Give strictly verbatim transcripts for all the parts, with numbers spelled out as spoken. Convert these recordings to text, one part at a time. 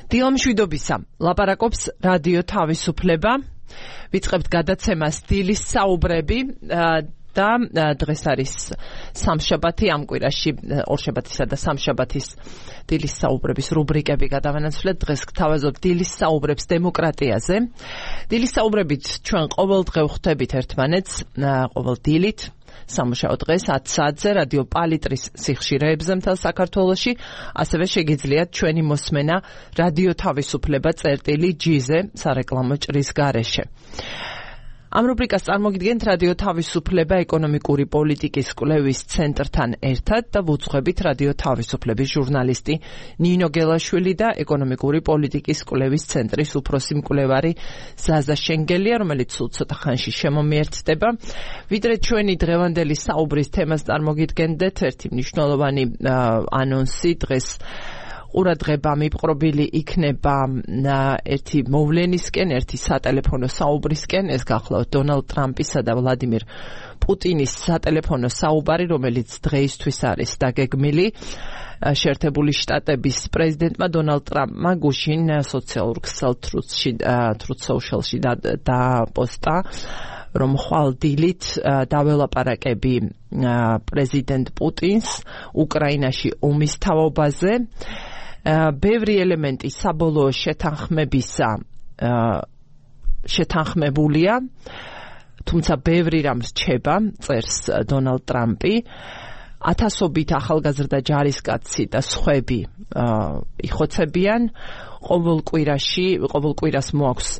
დილამშვიდობისა, ლაპარაკობს რადიო თავისუფლება. ვიწყებთ გადაცემას დილის საუბრები და დღეს არის სამშაბათი, ამ კვირაში ორშაბათისა და სამშაბათის დილის საუბრების რუბრიკები გადავანაცვლეთ. დღეს გთავაზობთ დილის საუბრებს დემოკრატიაზე. დილის საუბრებით ჩვენ ყოველდღე ვხვდებით ერთმანეთს, ყოველ დილით. სამუშაო დღეს ათ საათზე რადიო პალიტრის სიხშირეებზე მთელ საქართველოში, ასევე შეგიძლიათ ჩვენი მოსმენა რადიო თავისუფლება წერტილი ჯი-ზე სარეკლამო ჭრის გარეშე. ამ რუბრიკას წარმოგიდგენთ რადიო თავისუფლება ეკონომიკური პოლიტიკის კვლევის ცენტრთან ერთად და ვუძღვებით რადიო თავისუფლების ჟურნალისტი ნინო გელაშვილი და ეკონომიკური პოლიტიკის კვლევის ცენტრის უფროსი მკვლევარი ზაზა შენგელია, რომელიც სულ ცოტა ხანში შემომიერთდება. ვიდრე ჩვენი დღევანდელი საუბრის თემას წარმოგიდგენდეთ, ერთი მნიშვნელოვანი ანონსი დღეს ყურადღება მიპყრობილი იქნება ერთი მოვლენისკენ, ერთი სატელეფონო საუბრისკენ. ეს გახლავთ დონალდ ტრამპისა და ვლადიმირ პუტინის სატელეფონო საუბარი, რომელიც დღეისთვის არის დაგეგმილი. შეერთებული შტატების პრეზიდენტმა დონალდ ტრამპმა გუშინ სოციალურ ქსელ თრუთში თრუთ სოციალში დაპოსტა, რომ ხვალ დილით დაველაპარაკები პრეზიდენტ პუტინს უკრაინაში ომის თაობაზე. ბევრი ელემენტი საბოლოო შეთანხმებისა შეთანხმებულია, თუმცა ბევრი რამ რჩება, წერს დონალდ ტრამპი. ათასობით ახალგაზრდა ჯარისკაცი და სხვები იხოცებიან. ყოველ კვირაში, ყოველ კვირას მოაქვს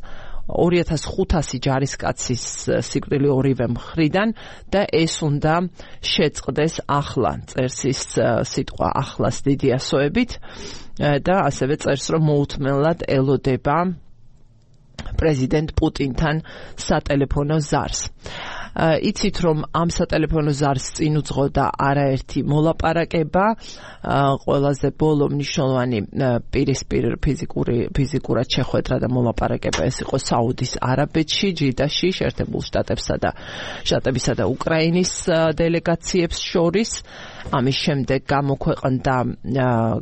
ორი ათას ხუთასი ჯარისკაცის სიკვდილი ორივე მხრიდან და ეს უნდა შეწყდეს ახლა, წერს ის სიტყვა ახლას დიდი ასოებით და ასევე წერს, რომ მოუთმენლად ელოდება პრეზიდენტ პუტინთან სატელეფონო ზარს. იცით, რომ ამ სატელეფონო ზარს წინ უძღოდა არაერთი მოლაპარაკება, ყველაზე ბოლო მნიშვნელოვანი პირისპირ ფიზიკური ფიზიკურად შეხვედრა და მოლაპარაკება ეს იყო საუდის არაბეთში, ჯიდაში, შეერთებულ შტატებსა და შტატებისა და უკრაინის დელეგაციებს შორის. ამის შემდეგ გამოქვეყნდა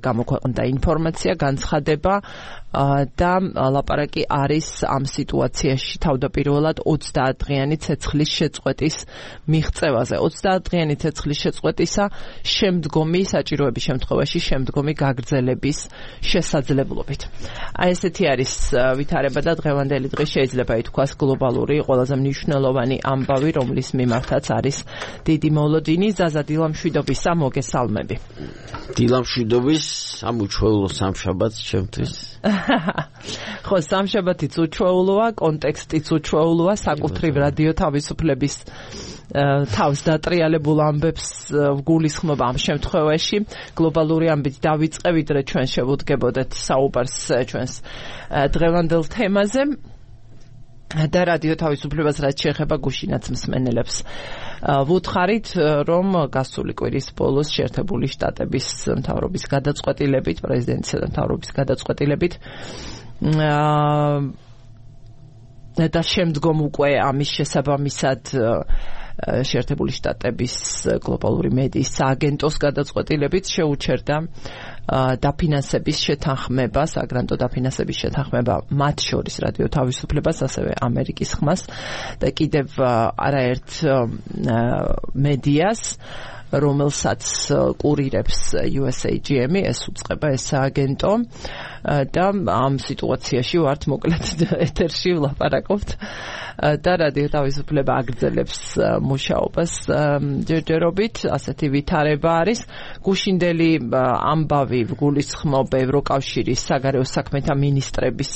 გამოქვეყნდა ინფორმაცია, განცხადება და ლაპარაკი არის ამ სიტუაციაში თავდაპირველად ოცდაათდღიანი ცეცხლის შეწყვეტის მიღწევაზე. ოცდაათდღიანი ცეცხლის შეწყვეტისა შემდგომი საჭიროების შემთხვევაში შემდგომი გაგრძელების შესაძლებლობით. აი ესეთი არის ვითარება და დღევანდელი დღე შეიძლება ითქვას გლობალური ყველაზე მნიშვნელოვანი ამბავი, რომლის მიმართაც არის დიდი მოლოდინი. ზაზა, დილამშვიდობისა, მოგესალმები. დილამშვიდობის, ამ უჩვეულო სამშაბათს ჩემთვის. ხო, სამშაბათიც უჩვეულოა, კონტექსტიც უჩვეულოა, საკუთრივ რადიო თავისუფლების თავს დატრიალებულ ამბებს ვგულისხმობ ამ შემთხვევაში. გლობალური ამბით დავიწყე, ვიდრე ჩვენ შევუდგებოდეთ საუბარს ჩვენს დღევანდელ თემაზე და რადიო თავისუფლებას რაც შეეხება გუშინაც მსმენელებს ვუთხარით, რომ გასული კვირის ბოლოს შეერთებული შტატების მთავრობის გადაწყვეტილებით, პრეზიდენტისა და მთავრობის გადაწყვეტილებით და შემდგომ უკვე ამის შესაბამისად შეერთებული შტატების გლობალური მედიის სააგენტოს გადაწყვეტილებით შეუჩერდა დაფინანსების შეთანხმება, საგრანტო დაფინანსების შეთანხმება მათ შორის რადიო თავისუფლებას, ასევე ამერიკის ხმას და კიდევ არაერთ მედიას, რომელსაც კურირებს იუ ეს ეი ჯი ემი, ეს უწყება ეს სააგენტო და ამ სიტუაციაში ვართ მოკლედ ეთერში ვლაპარაკობთ და რადიო თავისუფლება აგრძელებს მუშაობას ჯერჯერობით, ასეთი ვითარება არის. გუშინდელი ამბავი ვგულისხმობ ევროკავშირის საგარეო საქმეთა მინისტრების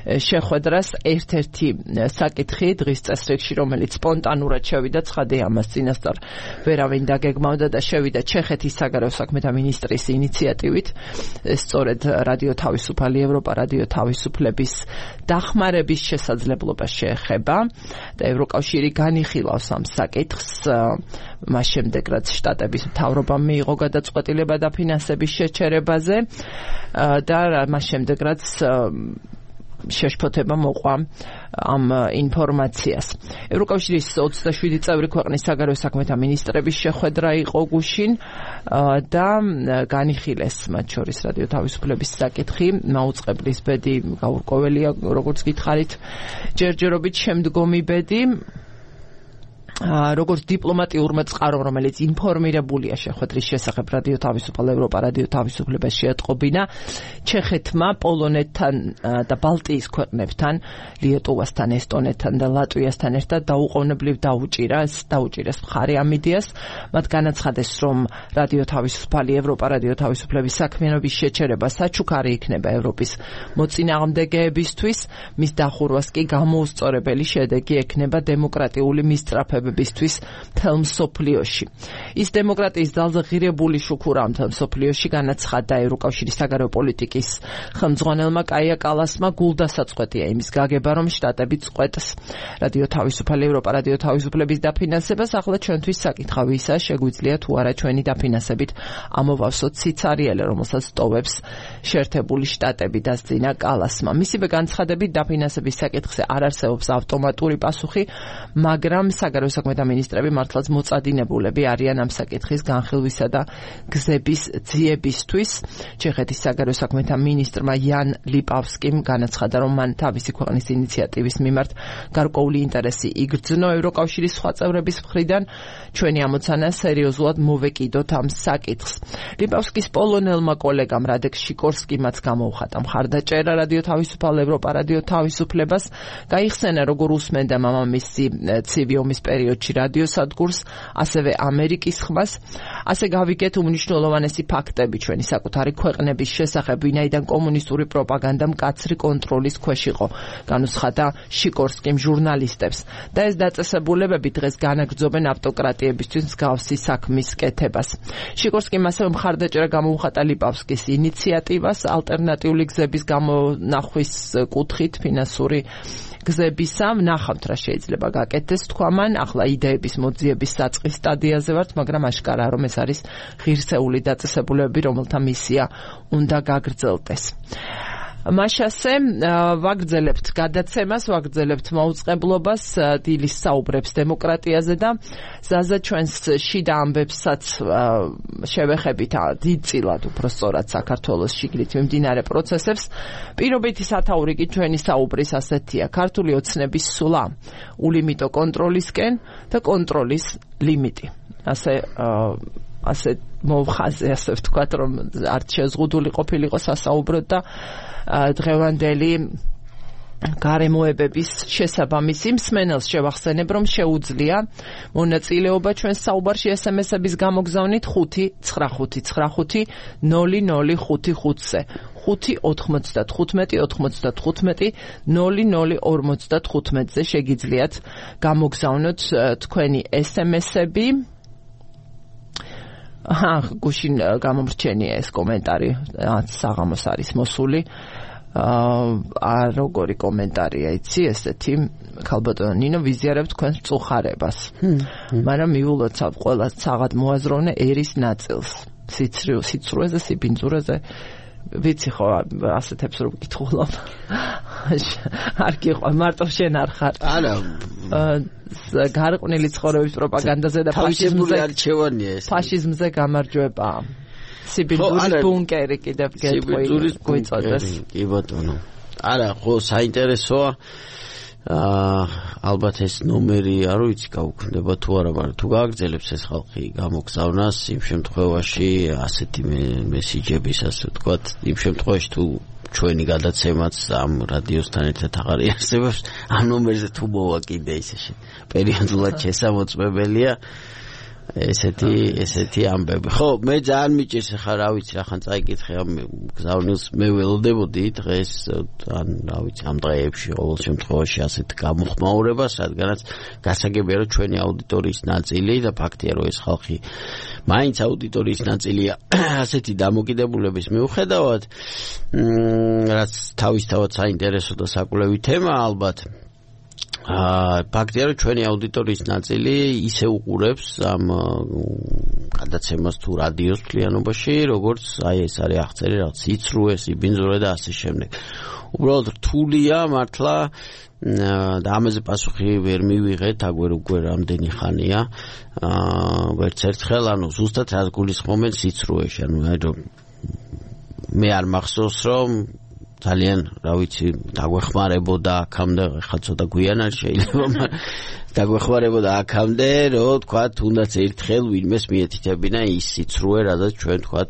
შეხვედრას, ერთ-ერთი საკითხი დღის წესრიგში, რომელიც სპონტანურად შევიდა, ცხადია ამას წინასწარ ვერავინ დაგეგმავდა და შევიდა ჩეხეთის საგარეო საქმეთა მინისტრის ინიციატივით. ეს სწორედ რადიო თავისუფალი ევროპა, რადიო თავისუფლების დახმარების შესაძლებლობას შეეხება და ევროკავშირი განიხილავს ამ საკითხს, მას შემდეგ რაც შტატების მთავრობამ მიიღო გადაწყვეტილება დაფინანსების შეჩერებაზე და მას შემდეგ რაც შეშფოთება მოყვა ამ ინფორმაციას. ევროკავშირის ოცდაშვიდი წევრი ქვეყნის საგარეო საქმეთა მინისტრების შეხვედრა იყო გუშინ და განიხილეს მათ შორის რადიო თავისუფლების საკითხი, მაუწყებლის ბედი გაურკვეველია, როგორც გითხარით, ჯერჯერობით შემდგომი ბედი როგორც დიპლომატიურმა წყარომ, რომელიც ინფორმირებულია შეხვედრის შესახებ რადიო თავისუფალ ევროპა რადიო თავისუფლებას შეატყობინა ჩეხეთმა, პოლონეთთან და ბალტიის ქვეყნებთან, ლიეტუვასთან, ესტონეთთან და ლატვიასთან ერთად დაუყოვნებლივ დაუჭირა, დაუჭირეს მხარი ამ იდეას. მათ განაცხადეს, რომ რადიო თავისუფალი ევროპა რადიო თავისუფლების საქმიანობის შეჩერება საჩუქარი იქნება ევროპის მოწინააღმდეგეებისთვის, მის დახურვას კი გამოუსწორებელი შედეგი ექნება დემოკრატიული მისწრაფებისთვის მთელ მსოფლიოში. ის დემოკრატიის ძალზე ღირებული შუქურა მთელ მსოფლიოში, განაცხადა ევროკავშირის საგარეო პოლიტიკის ხელმძღვანელმა კაია კალასმა. გულდასაწყვეტია იმის გაგება, რომ შტატები წყვეტს რადიო თავისუფალი ევროპა რადიო თავისუფლების დაფინანსებას. ახლა ჩვენთვის საკითხავი ისაა, შეგვიძლია თუ არა ჩვენი დაფინანსებით ამოვავსოთ სიცარიელე, რომელსაც ტოვებს შეერთებული შტატები, დასძინა კალასმა. მისივე განცხადებით დაფინანსების საკითხზე არ არსებობს ავტომატური პასუხი, მაგრამ საგარეო საქმეთა მინისტრები მართლაც მოწადინებულები არიან ამ საკითხის განხილვისა და გზების ძიებისთვის. ჩეხეთის საგარეო საქმეთა მინისტრმა იან ლიპავსკიმ განაცხადა, რომ მან თავისი ქვეყნის ინიციატივის მიმართ გარკვეული ინტერესი იგრძნო ევროკავშირის სხვა წევრების მხრიდან. ჩვენი ამოცანა სერიოზულად მოვეკიდოთ ამ საკითხს. ლიპავსკის პოლონელმა კოლეგამ რადეკ შიკორსკიმაც გამოუხატა მხარდაჭერა რადიო თავისუფალ ევროპა რადიო თავისუფლებას. გაიხსენა, როგორ უსმენდა მამამისი ცივი ომის პერიოდში რადიო სადგურს, ასევე ამერიკის ხმას. ასე გავიგეთ უმნიშვნელოვანესი ფაქტები ჩვენი საკუთარი ქვეყნების შესახებ, ვინაიდან კომუნისტური პროპაგანდა მკაცრი კონტროლის ქვეშ იყო, განუცხადა შიკორსკიმ ჟურნალისტებს. და ეს დაწესებულებები დღეს განაგრძობენ ავტოკრატიებისთვის მსგავსი საქმის კეთებას. შიკორსკიმ ასევე მხარდაჭერა გამოუხატა ლიპავსკის ინიციატივას ალტერნატიული გზების გამონახვის კუთხით ფინანსური გზებისა. ვნახავთ რა შეიძლება გაკეთდეს, თქვა მან. ახლა იდეების მოძიების საწყის სტადიაზე ვართ, მაგრამ აშკარაა, რომ ეს არის ღირსეული დაწესებულებები, რომელთა მისია უნდა გაგრძელდეს. მაშასე ვაგრძელებთ გადაცემას, ვაგრძელებთ მაუწყებლობას, დილის საუბრებს დემოკრატიაზე და ზაზა ჩვენს შიდა ამბებსაც შევეხებით დიდწილად უფრო სწორად საქართველოს შიგნით მიმდინარე პროცესებს. პირობითი სათაური კი ჩვენი საუბრის ასეთია: ქართული ოცნების სულა ულიმიტო კონტროლისკენ და კონტროლის ლიმიტი. ასე ასე მოვხაზე, ასე ვთქვათ, რომ არ შეზღუდული ყოფილიყო სასაუბროდ და დღევანდელი გარემოებების შესაბამისი მსმენელს შევახსენებ, რომ შეუძლია მონაწილეობა ჩვენს საუბარში ეს ემ ესების გამოგზავნით ხუთი ცხრა ხუთი ცხრა ხუთი ნული ნული ხუთი ხუთზე ხუთი ოთხმოცდათხუთმეტი ოთხმოცდათხუთმეტი ნული ნული ორმოცდათხუთმეტზე შეგიძლიათ გამოგზავნოთ თქვენი ეს ემ ესები. აჰა, გუშინ გამომრჩენია ეს კომენტარი, საღამოს არის მოსული. აა როგორი კომენტარია, იცი, ესეთი ქალბატონო ნინო, ვიზიარებთ თქვენს წუხარებას. მაგრამ მიულოცავ ყველა საღად მოაზროვნე ერის ნაწილს. სიცრუეზე, სიბინძურეზე ვიცი ხო, ასეთებს რომ გითხულობ. არ გიყვარ, მარტო შენ არ ხარ. არა. გარყვნილი ცხოვრების პროპაგანდაზე და ფაშიზმზე არჩევანია ეს. ფაშიზმზე გამარჯვება. სიბინძურის ბუნკერი კიდევ გვიწოდეს. კი ბატონო. არა, ხო, საინტერესოა. აა ალბათ ეს ნომერი არ ვიცი გაუქმდება თუ არა, მაგრამ თუ გააგრძელებს ეს ხალხი გამოგზავნას იმ შემთხვევაში ასეთი მესიჯების, ასე ვთქვათ, იმ შემთხვევაში თუ ჩვენი გადაცემაც ამ რადიოსთან ერთად აღარ იარსებობს, ამ ნომერზე თუ მოვაკიდე ისე პერიოდულად შესამოწმებელია ესეთი ესეთი ამბები. ხო, მე ძალიან მიჭირს ახლა რა ვიცი, რახან წაიკითხე ამ გზავნილს, მე ველოდებოდი დღეს ან რა ვიცი ამ დღეებში ყოველ შემთხვევაში ასეთ გამოხმაურებას, რადგანაც გასაგებია რომ ჩვენი აუდიტორიის ნაწილი და ფაქტია რომ ეს ხალხი მაინც აუდიტორიის ნაწილია ასეთი დამოკიდებულების მიუხედავად, რაც თავისთავად საინტერესო და საკვლევი თემა ალბათ. აა ფაქტია რომ ჩვენი აუდიტორიის ნაწილი ისე უყურებს ამ გადაცემას თუ რადიოს მთლიანობაში, როგორც აი ეს არის აღწერი რაღაც იცრუე, სიბინძურე და ასე შემდეგ. უბრალოდ რთულია მართლა და ამაზე პასუხი ვერ მივიღეთ, აგვერ უკვე რამდენი ხანია. აა ვერც ერთხელ, ანუ ზუსტად რას გულისხმობენ სიცრუეში, ანუ აი რომ მე არ მახსოვს რომ ძალიან, რა ვიცი, დაგვეხმარებოდა აქამდე, ხა ცოტა გვიან არ შეიძლება, მაგრამ დაგვეხმარებოდა აქამდე, რომ თქვა, თუნდაც ერთხელ ვინმეს მიეთითებინა ის სიცრუე, რადგან ჩვენ თქვა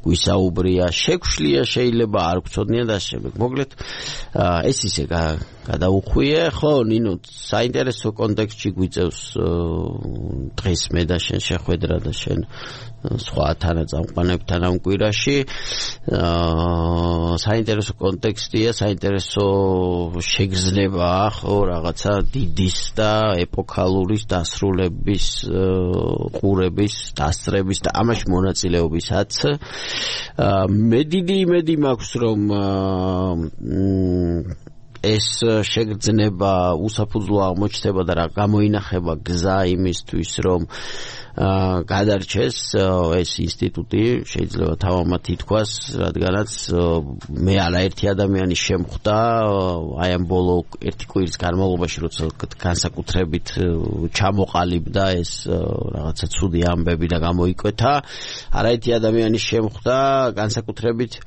გვისაუბრია, შეგვშლია შეიძლება არ გვწოდნია და შემდეგ. მოკლედ, ეს ისე გადაუხვიე, ხო, ნინო, საინტერესო კონტექსტში გვიწევს დღეს მე და შენ შეხვედრა და შენ სხვა თანაწამყვანებთან ამ კვირაში. საინტერესო კონტექსტია, საინტერესო შეგრძნებაა, ხო, რაღაცა დიდის და ეპოქალურის დასრულების, ყურების, დასწრების და ამაში მონაწილეობისაც. მე დიდი იმედი მაქვს, რომ ეს შეგრძნება უსაფუძვლო აღმოჩნდება და რა გამოინახება გზა იმისთვის, რომ გადარჩეს ეს ინსტიტუტი, შეიძლება თავამად ითქვას, რადგანაც მე არაერთი ადამიანის შემხვდა აი ამ ბოლო ერთი კვირის განმავლობაში, როცა განსაკუთრებით ჩამოყალიბდა ეს რაღაცა ცუდი ამბები და გამოიკვეთა, არაერთი ადამიანის შემხვდა განსაკუთრებით,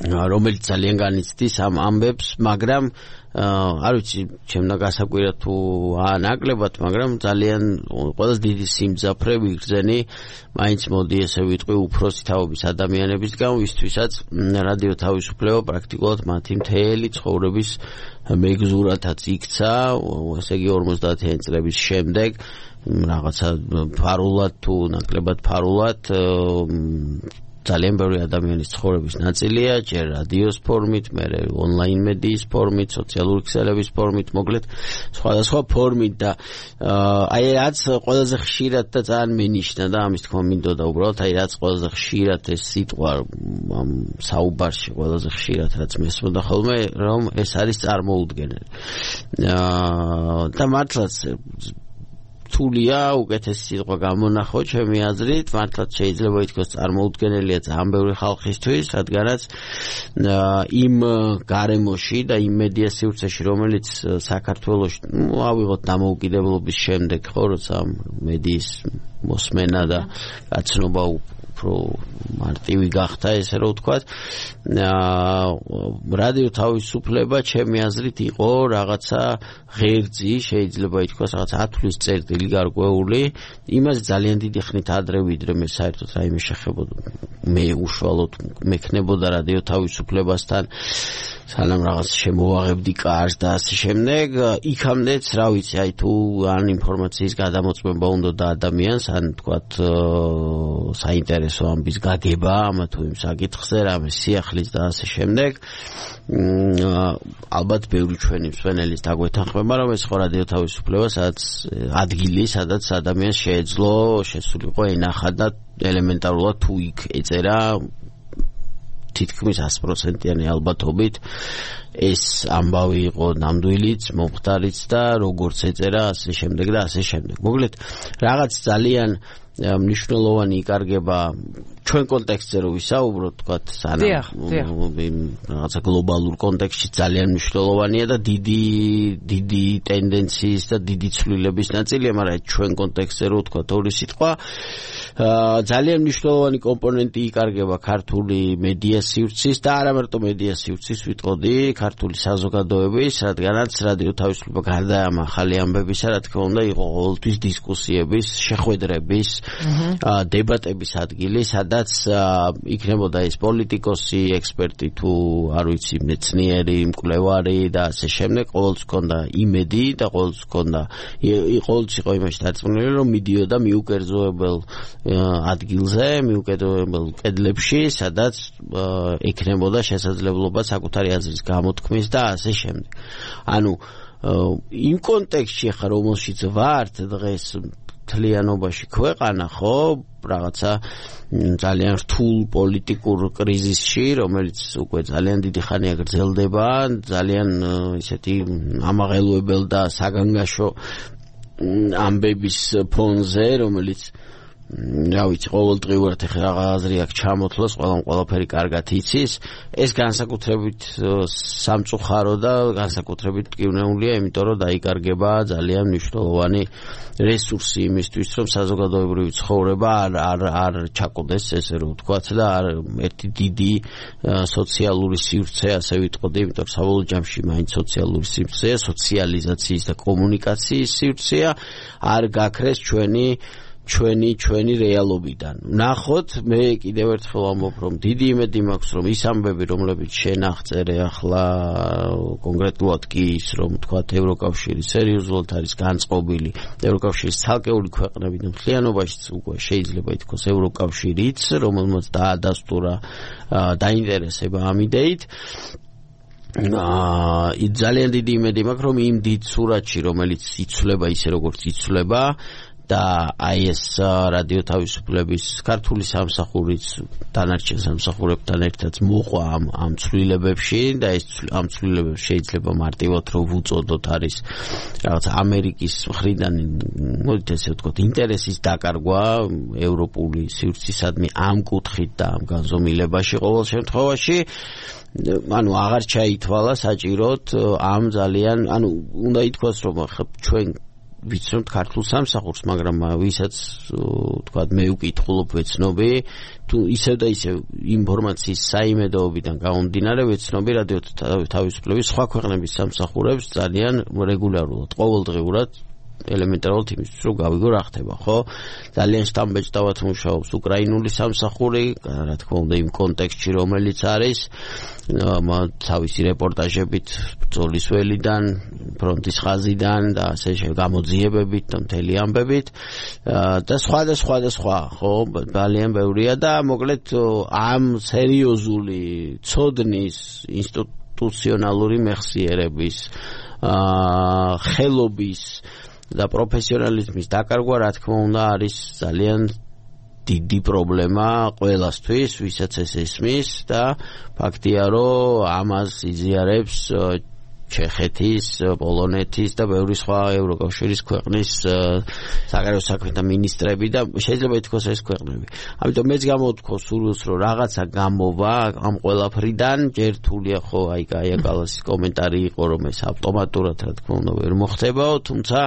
რომელიც ძალიან განიცდის ამ ამბებს, მაგრამ არ ვიცი, ჩემდა გასაკვირა თუ აანაკლებად, მაგრამ ძალიან ყველაზე დიდი სიმძაფრე ვიგრძენი, მაინც მოდი ესე ვიტყვი უფროსი თაობის ადამიანების გამო, ვისთვისაც რადიო თავისუფლება პრაქტიკულად მათი მთელი ცხოვრების მეგზურათაც იქცა, ესე იგი ორმოცდაათიანი წლების შემდეგ, რაღაცა ფარულად თუ ნაკლებად ფარულად ძალიან ბევრი ადამიანის ცხოვრების ნაწილია, ჯერ რადიოს ფორმით, მერე ონლაინ მედიის ფორმით, სოციალური ქსელების ფორმით, მოკლედ სხვადასხვა ფორმით და აი რაც ყველაზე ხშირად და ძალიან მენიშნა და ამის თქმა მინდოდა უბრალოდ, აი რაც ყველაზე ხშირად ეს სიტყვა ამ საუბარში ყველაზე ხშირად რაც მესმოდა ხოლმე, რომ ეს არის წარმოუდგენელი. და მართლაც თულია უკეთესი სიტყვა გამონახო ჩემი აზრით, მართლაც შეიძლება ითქვას წარმოუდგენელია ძალიან ბევრი ხალხისთვის, რადგანაც იმ გარემოში და იმ მედია სივრცეში, რომელიც საქართველოში ავიღოთ დამოუკიდებლობის შემდეგ, ხო, როცა მედიის მოსმენა და გაცნობა უფრო მარტივი გახდა, ესე რომ ვთქვათ, რადიო თავისუფლება ჩემი აზრით იყო რაღაცა ღერძი, შეიძლება ითქვას რაღაცა ათვლის წერტილი გარკვეული, იმას ძალიან დიდი ხნით ადრე ვიდრე მე საერთოდ რაიმე შეხებოდა, მე უშუალოდ მექნებოდა რადიო თავისუფლებასთან, სანამ რაღაც შემოვაღებდი კარს და ასე შემდეგ, იქამდეც, რა ვიცი, აი თუ ან ინფორმაციის გადამოწმება უნდა და ადამიანს, ან თქვათ საინტერესო ამბის გაგება ამა თუ იმ საკითხზე, რამე სიახლის და ასე შემდეგ, ალბათ ბევრი ჩვენი მსმენელის დაგვეთანხმება, რომ ეს ხო რადიო თავისუფლება, სადაც ადგილი, სადაც ადამიანს შეეძლო შესულიყო ენახა და ელემენტარულად თუ იქ ეწერა თითქმის ათი პროცენტიანი ალბათობით ეს ამბავი იყო ნამდვილიც, მომხდარიც და როგორც ეწერა ასე შემდეგ და ასე შემდეგ. მოკლედ, რაღაც ძალიან მნიშვნელოვანი იკარგება ჩვენ კონტექსტზე რო ვისაუბროთ, თქვათ, სანამ რაღაცა გლობალურ კონტექსტში ძალიან მნიშვნელოვანია და დიდი დიდი ტენდენციის და დიდი ცვლილების ნაწილია, მაგრამ ჩვენ კონტექსტზე რო ვთქვათ ორი სიტყვა, ძალიან მნიშვნელოვანი კომპონენტი იკარგება ქართული მედია სივრცის და არა მარტო მედია სივრცის, ვიტყოდი, ქართული საზოგადოების, რადგანაც რადიო თავისუფლება გარდა ამ ახალი ამბებისა, რა თქმა უნდა, იყო ყოველთვის დისკუსიების, შეხვედრების, დებატების ადგილი, სადაც იქნებოდა ეს პოლიტიკოსი, ექსპერტი თუ არ ვიცი, მეცნიერი, მკვლევარი და ასე შემდეგ, ყოველთვის ჰქონდა იმედი და ყოველთვის ჰქონდა ყოველთვის იყო იმაში დარწმუნებული, რომ მიდიოდა მიუკერძოებელ ადგილზე, მიუკერძოებელ კედლებში, სადაც ექნებოდა შესაძლებლობა საკუთარი აზრის გამოთქმის და ასე შემდეგ. ანუ იმ კონტექსტში ხარ, რომელშიც ვართ დღეს მთლიანობაში ქვეყანა, ხო, რაღაცა ძალიან რთულ პოლიტიკურ კრიზისში, რომელიც უკვე ძალიან დიდი ხანია გრძელდება, ძალიან ისეთი ამაღელვებელ და საგანგაშო ამბების ფონზე, რომელიც რა ვიცი, ყოველდღიურად ეხლა რა აზრი აქვს ჩამოთვლას, ყველამ ყველაფერი კარგად იცის. ეს განსაკუთრებით სამწუხარო და განსაკუთრებით მტკივნეულია, იმიტომ რომ დაიკარგება ძალიან მნიშვნელოვანი რესურსი იმისთვის, რომ საზოგადოებრივი ცხოვრება არ არ არ ჩაკოდეს, ესე რომ ვთქვათ, და არ ერთი დიდი სოციალური სივრცე, ასე ვიტყოდი, იმიტომ რომ საბოლოო ჯამში მაინც სოციალური სივრცეა, სოციალიზაციის და კომუნიკაციის სივრცეა, არ გაქრეს ჩვენი ჩვენი ჩვენი რეალობიდან. ნახოთ, მე კიდევ ერთხელ ვამბობ, რომ დიდი იმედი მაქვს, რომ ის ამბები, რომლებიც შენ აღწერე ახლა კონკრეტულად კი ის, რომ თქვათ ევროკავშირი სერიოზულად არის განწყობილი, ევროკავშირის ცალკეული ქვეყნები მთლიანობაში უკვე შეიძლება ითქვას ევროკავშირიც, რომელმაც დაადასტურა დაინტერესება ამ იდეით. აა ძალიან დიდი იმედი მაქვს, რომ იმ დიდ სურათში, რომელიც იცვლება ისე როგორც იცვლება, და აი ეს რადიო თავისუფლების ქართული სამსახურიც დანარჩენ სამსახურებთან ერთად მოყვა ამ ამ ცვლილებებში და ეს ამ ცვლილებებს შეიძლება მარტივად რომ ვუწოდოთ არის რაღაც ამერიკის მხრიდან მოდით ესე ვთქვათ ინტერესის დაკარგვა ევროპული სივრცისადმი ამ კუთხით და ამ განზომილებაში ყოველ შემთხვევაში ანუ აღარ ჩაითვალა საჭიროდ ამ ძალიან ანუ უნდა ითქვას რომ ჩვენ ვიცნობთ ქართულ სამსახურს, მაგრამ ვისაც თქვათ მე უკითხულობ ვეცნობი, თუ ისევ და ისევ ინფორმაციის საიმედოობიდან გამომდინარე ვეცნობი რადიო თავისუფლების სხვა ქვეყნების სამსახურებს ძალიან რეგულარულად, ყოველდღიურად ელემენტარულად იმისთვის რომ გავიგო რა ხდება, ხო? ძალიან შტამბეჭდავად მუშაობს უკრაინული სამსახური, რა თქმა უნდა იმ კონტექსტში რომელიც არის, თავისი რეპორტაჟებით ბრძოლის ველიდან, ფრონტის ხაზიდან და ასე გამოძიებებით და მთელი ამბებით და სხვა და სხვა და სხვა, ხო? ძალიან ბევრია და მოკლედ ამ სერიოზული ცოდნის ინსტიტუციონალური მეხსიერების ხელობის და პროფესიონალიზმის დაკარგვა რა თქმა უნდა არის ძალიან დიდი პრობლემა ყველასთვის, ვისაც ეს ესმის და ფაქტია რომ ამას იზიარებს ჩეხეთის, პოლონეთის და ბევრი სხვა ევროკავშირის ქვეყნის საგარეო საქმეთა მინისტრები და შეიძლება ითქვას ეს ქვეყნები. ამიტომ მეც გამოვთქვა სურვილს რომ რაღაცა გამოვა ამ ყველაფრიდან, ჯერ თულია ხო აი კაია კალასის კომენტარი იყო რომ ეს ავტომატურად რა თქმა უნდა ვერ მოხდებაო, თუმცა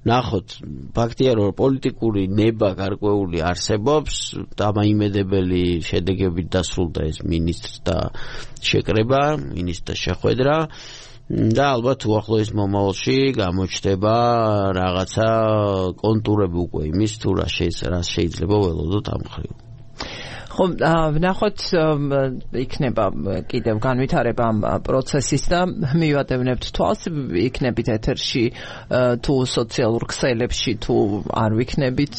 ნახოთ, ფაქტია რომ პოლიტიკური ნება გარკვეული არსებობს, დამაიმედებელი შედეგებით დასრულდა ეს მინისტრთა შეკრება, მინისტრთა შეხვედრა და ალბათ უახლოეს მომავალში გამოჩნდება რაღაცა კონტურები უკვე იმის თუ რა შეიძლება ველოდოთ ამ მხრივ. ხო, ვნახოთ იქნება კიდევ განვითარება ამ პროცესის და მივადევნებთ თვალს, იქნებით ეთერში თუ სოციალურ ქსელებში თუ არ ვიქნებით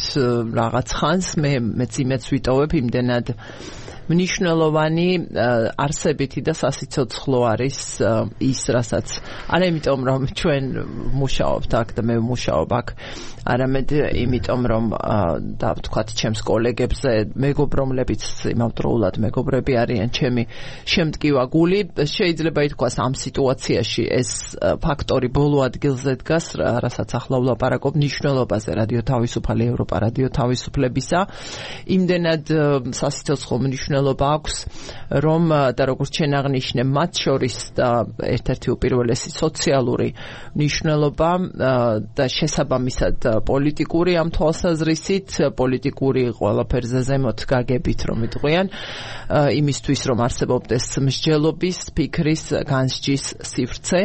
რაღაც ხანს, მე მეც იმეც ვიტოვებ იმდენად მნიშვნელოვანი არსებითი და სასიცოცხლო არის ის, რასაც არა იმიტომ რომ ჩვენ მუშაობთ აქ და მე ვმუშაობ აქ, არამედ იმიტომ რომ და ვთქვათ ჩემს კოლეგებზე მეგობრობლებიც იმავდროულად მეგობრები არიან ჩემი შემტკივა გული, შეიძლება ითქვას ამ სიტუაციაში ეს ფაქტორი ბოლო ადგილზე დგას, რასაც ახლა ვლაპარაკობ მნიშვნელობაზე რადიო თავისუფალი ევროპა რადიო თავისუფლებისა, იმდენად სასიცოცხლო მნიშვნელობა აქვს, რომ და როგორც შენ აღნიშნე, მათ შორის და ერთ-ერთი უპირველესი სოციალური მნიშვნელობა და შესაბამისად პოლიტიკური ამ თვალსაზრისით, პოლიტიკური ყველაფერზე ზემოთ გაგებით რომ იტყვიან, იმისთვის რომ არსებობდეს მსჯელობის, ფიქრის, განსჯის სივრცე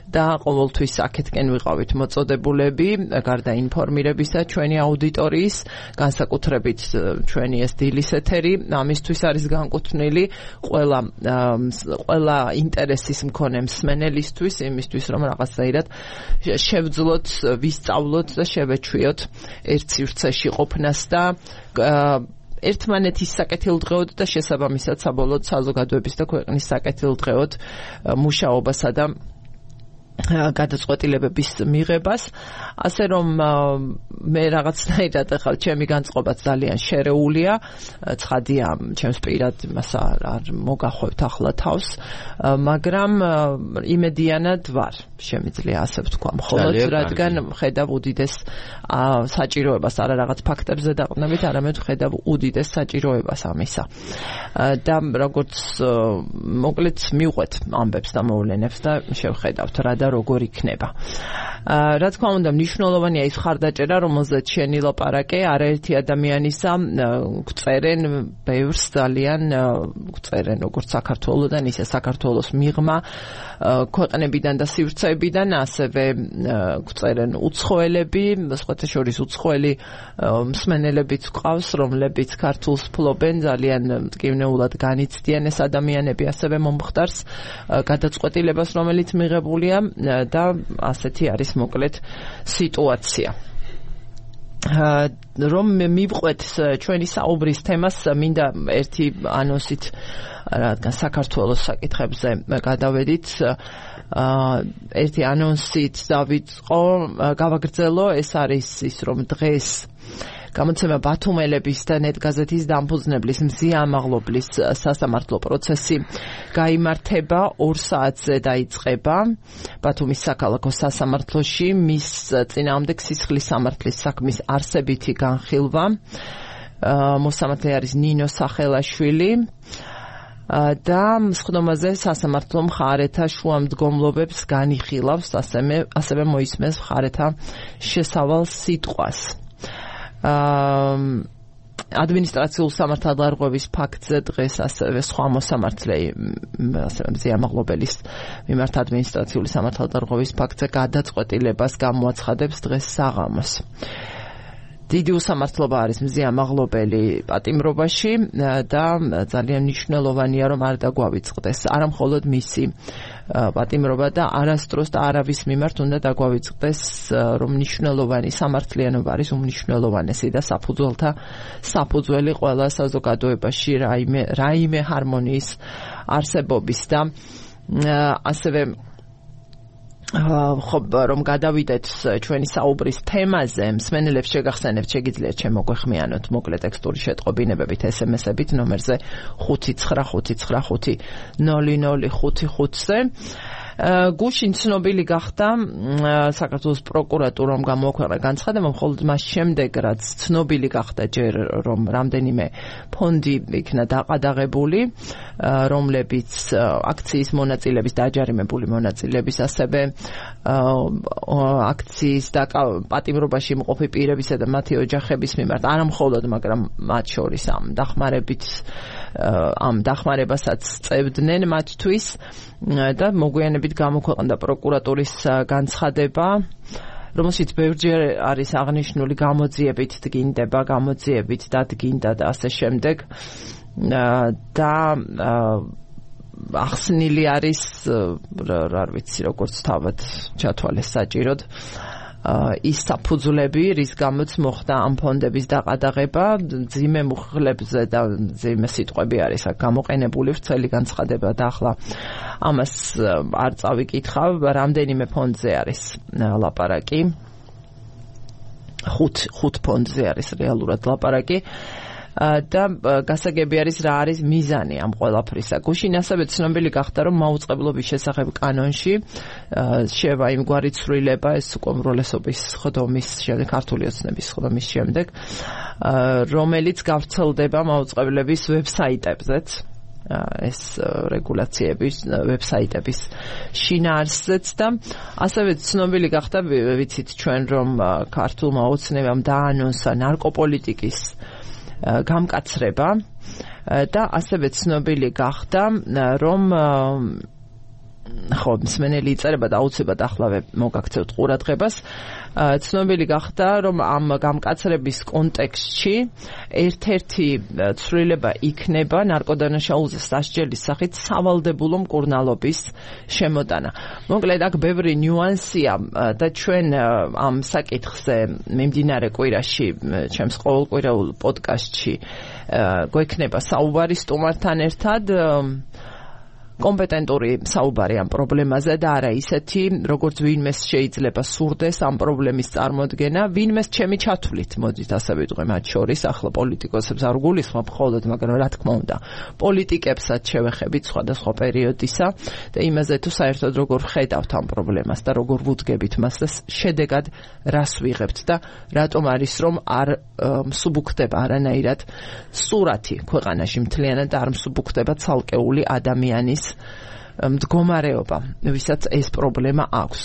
და ყოველთვის აქეთკენ ვიყავით მოწოდებულები, გარდა ინფორმირებისა ჩვენი აუდიტორიის, განსაკუთრებით ჩვენი ეს დილის ეთერი, ამისთვის არის განკუთვნილი ყველა ყველა ინტერესის მქონე მსმენელისთვის, იმისთვის რომ რაღაცნაირად შევძლოთ, ვისწავლოთ და შევეჩვიოთ ერთ სივრცეში ყოფნას და ერთმანეთის საკეთილდღეოდ და შესაბამისად საბოლოოდ საზოგადოების და ქვეყნის საკეთილდღეოდ მუშაობასა და გადაწყვეტილებების მიღებას, ასე რომ მე რაღაცნაირად ახლა ჩემი განწყობაც ძალიან შერეულია, ცხადია ჩემს პირად იმას არ მოგახვევთ ახლა თავს, მაგრამ იმედიანად ვარ, შემიძლია ასე ვთქვა, მხოლოდ რადგან ხედავ უდიდეს საჭიროებას, არა რაღაც ფაქტებზე დაყრდნობით, არამედ ხედავ უდიდეს საჭიროებას ამისა. და როგორც მოკლედ მივყვეთ ამბებს და მოვლენებს და შევხედავთ რა და როგორ იქნება. რა თქმა უნდა, მნიშვნელოვანია ის ხარდაჭერა, რომელზეც შენი ლაპარაკე, არაერთი ადამიანისა გვწერენ ბევრს ძალიან გვწერენ როგორც საქართველოდან, ისე საქართველოს მიღმა ქვეყნებიდან და სივრცეებიდან, ასევე გვწერენ უცხოელები, სხვათა შორის უცხოელი მსმენელებიც გვყავს, რომლებიც ქართულს ფლობენ, ძალიან მტკივნეულად განიცდიან ეს ადამიანები ასევე მომხდარს გადაწყვეტილებას, რომელიც მიღებულია და ასეთი არის მოკლედ სიტუაცია. რომ მივყვეთ ჩვენი საუბრის თემას, მინდა ერთი ანონსით რადგან საქართველოს საკითხებზე გადავედით, ერთი ანონსით დავიწყო, გავაგრძელო, ეს არის ის, რომ დღეს გამოცემა ბათუმელების და ნეტგაზეთის დამფუძნებლის მზიამაღლობლის სასამართლო პროცესი გაიმართება ორ საათზე დაიწყება ბათუმის საქალაქო სასამართლოში მის წინააღმდეგ სისხლის სამართლის საქმის არსებითი განხილვა. მოსამართლე არის ნინო სახელაშვილი და მსხდომაზე სასამართლო მხარეთა შუამდგომლობებს განიხილავს, ასევე მოისმენს მხარეთა შესავალ სიტყვას. ადმინისტრაციულ სამართალდარღვევის ფაქტზე დღეს ასევე სხვა მოსამართლე ასევე მზიამაღლობელის მიმართ ადმინისტრაციული სამართალდარღვევის ფაქტზე გადაწყვეტილებას გამოაცხადებს დღეს საღამოს. დიდი უსამართლობა არის მზიამაღლობელი პატიმრობაში და ძალიან მნიშვნელოვანია, რომ არ დაგვავიწყდეს არა მხოლოდ მისი პატიმრობა და არასდროს და არავის მიმართ უნდა დაგვავიწყდეს, რომ მნიშვნელოვანი სამართლიანობა არის უმნიშვნელოვანესი და საფუძველთა საფუძველი ყველა საზოგადოებაში რაიმე რაიმე ჰარმონიის არსებობის და ასევე ხო რომ გადავიდეთ ჩვენი საუბრის თემაზე, მსმენელებს შეგახსენებთ, შეგიძლიათ შემოგვეხმიანოთ მოკლე ტექსტური შეტყობინებებით ესემესებით ნომერზე ხუთი ცხრა ხუთი ცხრა ხუთი ნული ნული ხუთი ხუთზე. გუშინ ცნობილი გახდა საქართველოს პროკურატურამ გამოაქვეყნა განცხადება, მხოლოდ მას შემდეგ, რაც ცნობილი გახდა ჯერ, რომ რამდენიმე ფონდი იქნა დაყადაღებული, რომლებიც აქციის მონაწილების, დაჯარიმებული მონაწილების, ასევე აქციის და პატიმრობაში მყოფი პირებისა და მათი ოჯახების მიმართ, არა მხოლოდ, მაგრამ მათ შორის ამ დახმარებით ამ დახმარებასაც წევდნენ მათთვის და მოგვიანებით გამოქვეყნდა პროკურატურის განცხადება, რომელშიც ბევრჯერ არის აღნიშნული გამოძიებით დგინდება, გამოძიებით დადგინდა და ასე შემდეგ და ახსნილი არის, არ ვიცი როგორც თავად ჩათვალეს საჭიროდ, ის საფუძვლები, რის გამოც მოხდა ამ ფონდების დაყადაღება, ძიმე მუხლებზე და ძიმე სიტყვები არის აქ გამოყენებული, ვრცელი განცხადება და ახლა ამას არ წავიკითხავ, რამდენიმე ფონდზე არის ლაპარაკი, ხუთ ხუთ ფონდზე არის რეალურად ლაპარაკი. და გასაგები არის რა არის მიზანი ამ ყველაფრისა. გუშინ ასევე ცნობილი გახდა, რომ მაუწყებლობის შესახებ კანონში შევა იმგვარი ცვლილება, ეს უკვე უმრავლესობის ხდომის შემდეგ, ქართული ოცნების ხდომის შემდეგ, რომელიც გავრცელდება მაუწყებლების ვებსაიტებზეც. ეს რეგულაციების ვებსაიტების შინაარსზეც და ასევე ცნობილი გახდა, ვიცით ჩვენ, რომ ქართულმა ოცნებამ დაანონსა ნარკოპოლიტიკის გამკაცრება და ასევე ცნობილი გახდა, რომ ხო, მსმენელი იწერება და აუცილებლად ახლავე მოგაქცევთ ყურადღებას. ცნობილი გახდა, რომ ამ გამკაცრების კონტექსტში ერთ-ერთი ცვლილება იქნება ნარკოდანაშაულზე სასჯელის სახით სავალდებულო მკურნალობის შემოტანა. მოკლედ აქ ბევრი ნიუანსია და ჩვენ ამ საკითხზე მიმდინარე კვირაში, ჩემს ყოველკვირეულ პოდკასტში გვექნება საუბარი სტუმართან ერთად. კომპეტენტური საუბარი ამ პრობლემაზე და არა ისეთი, როგორც ვინმეს შეიძლება სურდეს ამ პრობლემის წარმოდგენა, ვინმეს ჩემი ჩათვლით, მოდით ასე ვიტყვე მათ შორის, ახლა პოლიტიკოსებს არ გულისხმობ მხოლოდ, მაგრამ რა თქმა უნდა, პოლიტიკებსაც შევეხებით სხვადასხვა პერიოდისა და იმაზე თუ საერთოდ როგორ ხედავთ ამ პრობლემას და როგორ ვუდგებით მას და შედეგად რას ვიღებთ და რატომ არის რომ არ მსუბუქდება არანაირად სურათი ქვეყანაში მთლიანად არ მსუბუქდება ცალკეული ადამიანის მდგომარეობა, ვისაც ეს პრობლემა აქვს.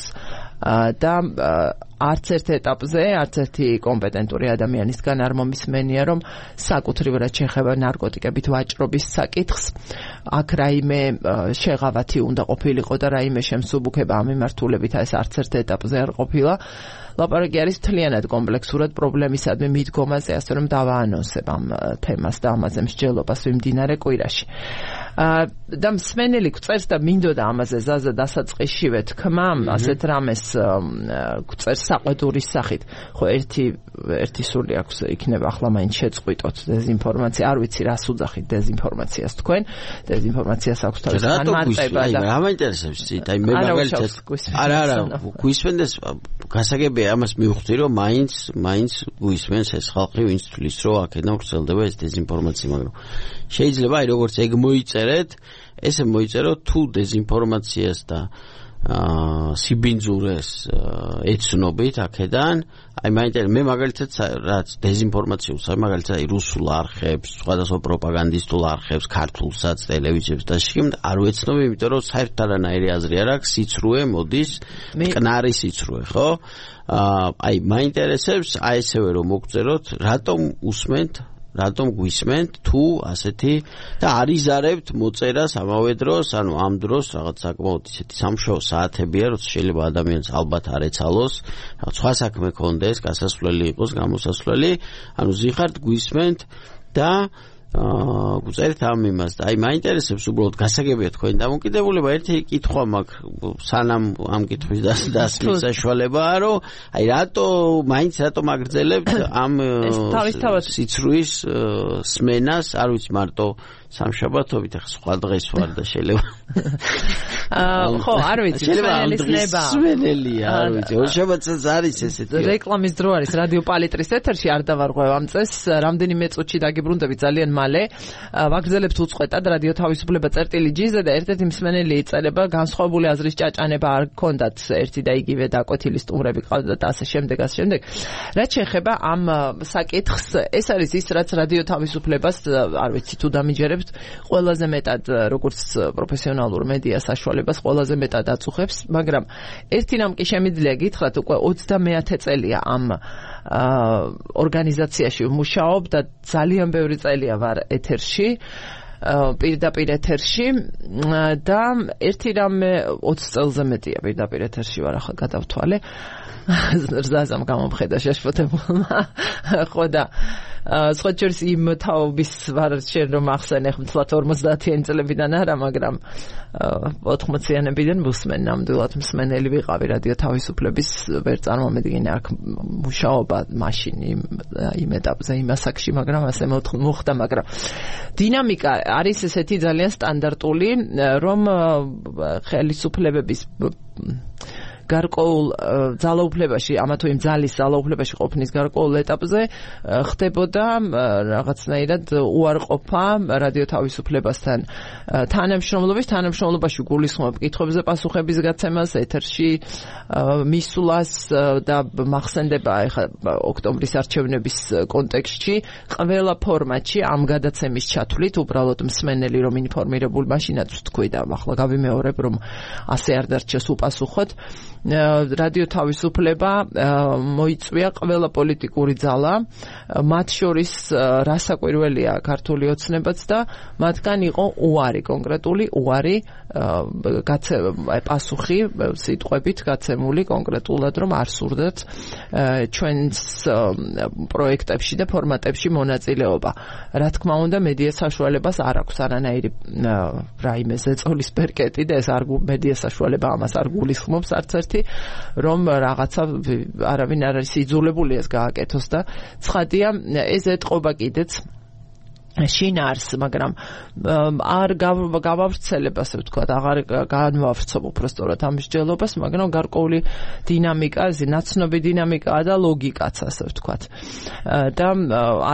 და არც ერთ ეტაპზე, არც ერთი კომპეტენტური ადამიანისგან არ მომისმენია, რომ საკუთრივად შეეხება ნარკოტიკებით ვაჭრობის საკითხს, აქ რაიმე შეღავათი უნდა ყოფილიყო და რაიმე შემსუბუქება ამ მიმართულებით ეს არც ერთ ეტაპზე არ ყოფილა. ლაპარაკი არის მთლიანად კომპლექსურად პრობლემისადმი მიდგომაზე, ასე რომ დავაანონსებ ამ თემას და ამაზე მსჯელობას ვიმდინარე კვირაში. და მსმენელი გვწერს და მინდოდა ამაზე ზაზა დასაწყისშივე თქმა, ასეთ რამეს გვწერს საყვედურის სახით. ხო ერთი ერთი სული აქვს, იქნება ახლა მაინც შეწყვიტოთ დეზინფორმაცია, არ ვიცი რას უძახით დეზინფორმაციას თქვენ. დეზინფორმაციას აქვს თავის განმარტება და რა მაინტერესებს იცით, აი მე მაგალითად არა არა გვისმენდეს გასაგებია ამას მივხვდი რომ მაინც მაინც გვისმენს ეს ხალხი ვინც თვლის რომ აქედან ვრცელდება ეს დეზინფორმაცია, მაგრამ შეიძლება აი როგორც ეგ მოიწერეთ, ესე მოიწეროთ თუ დეზინფორმაციას და სიბინძურეს ეცნობით აქედან, აი მაინტერესებს მე მაგალითად რაც დეზინფორმაციულს, აი მაგალითად აი რუსულ არხებს, სხვადასხვა პროპაგანდისტულ არხებს, ქართულსაც, ტელევიზიებს და შიგნით არ ვეცნობ, იმიტომ რომ საერთოდ არანაირი აზრი არ აქვს, სიცრუე მოდის, მტკნარი სიცრუე, ხო? აი მაინტერესებს აი ესევე რომ მოგწეროთ, რატომ უსმენთ რატომ გვისმენთ თუ ასეთი და არიზარებთ მოწერას ამავე დროს, ანუ ამ დროს რაღაც საკმაოდ ისეთი სამშაბათო საათებია, როცა შეიძლება ადამიანს ალბათ არ ეცალოს, რაღაც სხვა საქმე ქონდეს, გასასვლელი იყოს, გამოსასვლელი, ანუ ზიხართ გვისმენთ და აა გუწერეთ ამ იმას და აი მაინტერესებს უბრალოდ გასაგებია თქვენი დამოკიდებულება. ერთი კითხვა მაქვს სანამ ამ კითხვის დასმის საშუალებაა, რომ აი რატო მაინც რატო მაგრძელებთ ამ სიცრუის სმენას, არ ვიცი მარტო სამშაბათობით, ახლა სხვა დღეს ვარ და შეიძლება აა ხო არ ვიცი სმენელის ნება სმენელია, არ ვიცი ორშაბათსაც არის ესეთი რეკლამის დრო არის რადიო პალიტრის ეთერში, არ დავარღვევ ამ წესს, რამდენიმე წუთში დაგიბრუნდებით ძალიან მალე. ვაგრძელებთ უწყვეტად რადიო თავისუფლება წერტილი ჯი-ზე და ერთ-ერთი მსმენელი იწერება, განსხვავებული აზრის ჭაჭანება არ გქონდათ, ერთი და იგივე დაკვეთილი სტუმრები ყავდათ და ასე შემდეგ, ასე შემდეგ. რაც შეეხება ამ საკითხს, ეს არის ის, რაც რადიო თავისუფლებას, არ ვიცი თუ დამიჯერებთ, ყველაზე მეტად როგორც პროფესიონალურ მედია საშუალებას ყველაზე მეტად აწუხებს, მაგრამ ერთი რამ კი შემიძლია გითხრათ, უკვე ოცდამეათე წელია ამ ორგანიზაციაში ვმუშაობ და ძალიან ბევრი წელია ვარ ეთერში, პირდაპირ ეთერში და ერთი რამე ოცი წელზე მეტია პირდაპირ ეთერში ვარ, ახლა გადავთვალე. ზაზამ გამომხედა შეშფოთებულმა, ხო და სხვა შორის იმ თაობის ვარ შენ რომ ახსენე ხმთლათ ორმოცდაათიანი წლებიდან არა, მაგრამ ოთხმოციანებიდან ვუსმენ ნამდვილად მსმენელი ვიყავი რადიო თავისუფლების, ვერ წარმომედგინე აქ მუშაობა მაშინ იმ ეტაპზე იმ ასაკში, მაგრამ ასე მოხდა, მაგრამ დინამიკა არის ესეთი ძალიან სტანდარტული, რომ ხელისუფლებების გარკვეულ ძალაუფლებაში, ამა თუ იმ ძალის ძალაუფლებაში ყოფნის გარკვეულ ეტაპზე ხდებოდა რაღაცნაირად უარყოფა რადიო თავისუფლებასთან თანამშრომლობის, თანამშრომლობაში გულისხმობ კითხვებზე პასუხების გაცემას, ეთერში მისვლას და მახსენდება ეხლა ოქტომბრის არჩევნების კონტექსტში ყველა ფორმატში ამ გადაცემის ჩათვლით, უბრალოდ მსმენელი რომ ინფორმირებულ მაშინაც ვთქვი და ახლა გავიმეორებ, რომ ასე არ დარჩეს უპასუხოთ. რადიო თავისუფლება მოიწვია ყველა პოლიტიკური ძალა, მათ შორის რასაკვირველია ქართული ოცნებაც და მათგან იყო უარი, კონკრეტული უარი პასუხი სიტყვებით გაცემული კონკრეტულად, რომ არ სურდათ ჩვენს პროექტებში და ფორმატებში მონაწილეობა. რა თქმა უნდა, მედია საშუალებას არ აქვს არანაირი რაიმე ზეწოლის პერკეტი და ეს არ მედია საშუალება ამას არ გულისხმობს არც ერთი, რომ რაღაცა არავინ არ არის იძულებული ეს გააკეთოს და ცხადია, ეს ეტყობა კიდეც შინაარს, მაგრამ არ გავავრცელებ, ასე ვთქვათ, აღარ განვავრცობ უბრალოდ ამ მსჯელობას, მაგრამ გარკვეული დინამიკა, ნაცნობი დინამიკაა და ლოგიკაც, ასე ვთქვათ. და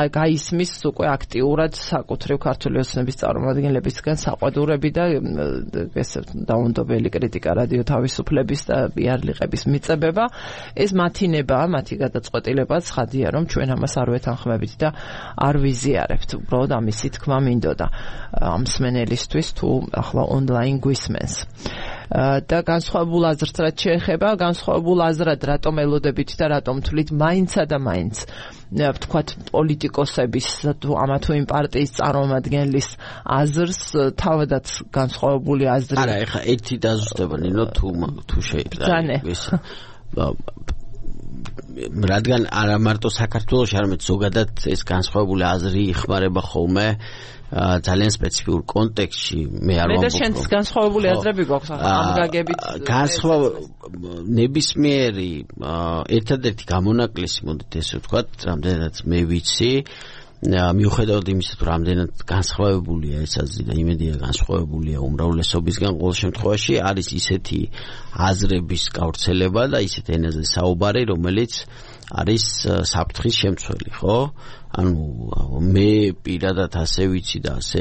გაისმის უკვე აქტიურად საკუთრივ ქართული ოცნების წარმომადგენლებისგან საყვედურები და ესე დაუნდობელი კრიტიკა რადიო თავისუფლების და იარლიყების მიწებება. ეს მათი ნებაა, მათი გადაწყვეტილება, ცხადია, რომ ჩვენ ამას არ ვეთანხმებით და არ ვიზიარებთ. უბრალოდ ამისი თქმა მინდოდა ამ მსმენელისთვის თუ ახლა ონლაინ გვისმენს. და განსხვავებულ აზრს რაც შეეხება, განსხვავებულ აზრად რატომ ელოდებით და რატომ თვლით მაინცა და მაინც ვთქვათ პოლიტიკოსების თუ ამა თუ იმ პარტიის წარმომადგენლის აზრს თავადაც განსხვავებული აზრი. არა, ეხა ერთი დაზუსტება ნინო თუ თუ შეიძლება. რადგან არა მარტო საქართველოში, არამედ ზოგადად ეს განსხვავებული აზრი იხმარება ხოლმე ძალიან სპეციფიურ კონტექსტში. მე არ ვამბობ. მე და შენც განსხვავებული აზრები გვაქვს ამ გაგებით. განსხვავ ნებისმიერი ერთადერთი გამონაკლისი, მოდით ესე ვთქვათ, რამდენადაც მე ვიცი, მიუხედავად იმისა, თუ რამდენად განსხვავებულია ეს აზრი და იმედია განსხვავებულია უმრავლესობისგან, ყოველ შემთხვევაში არის ისეთი აზრების გავრცელება და ისეთ ენაზე საუბარი, რომელიც არის საფრთხის შემცველი, ხო? ანუ მე პირადად ასე ვიცი და ასე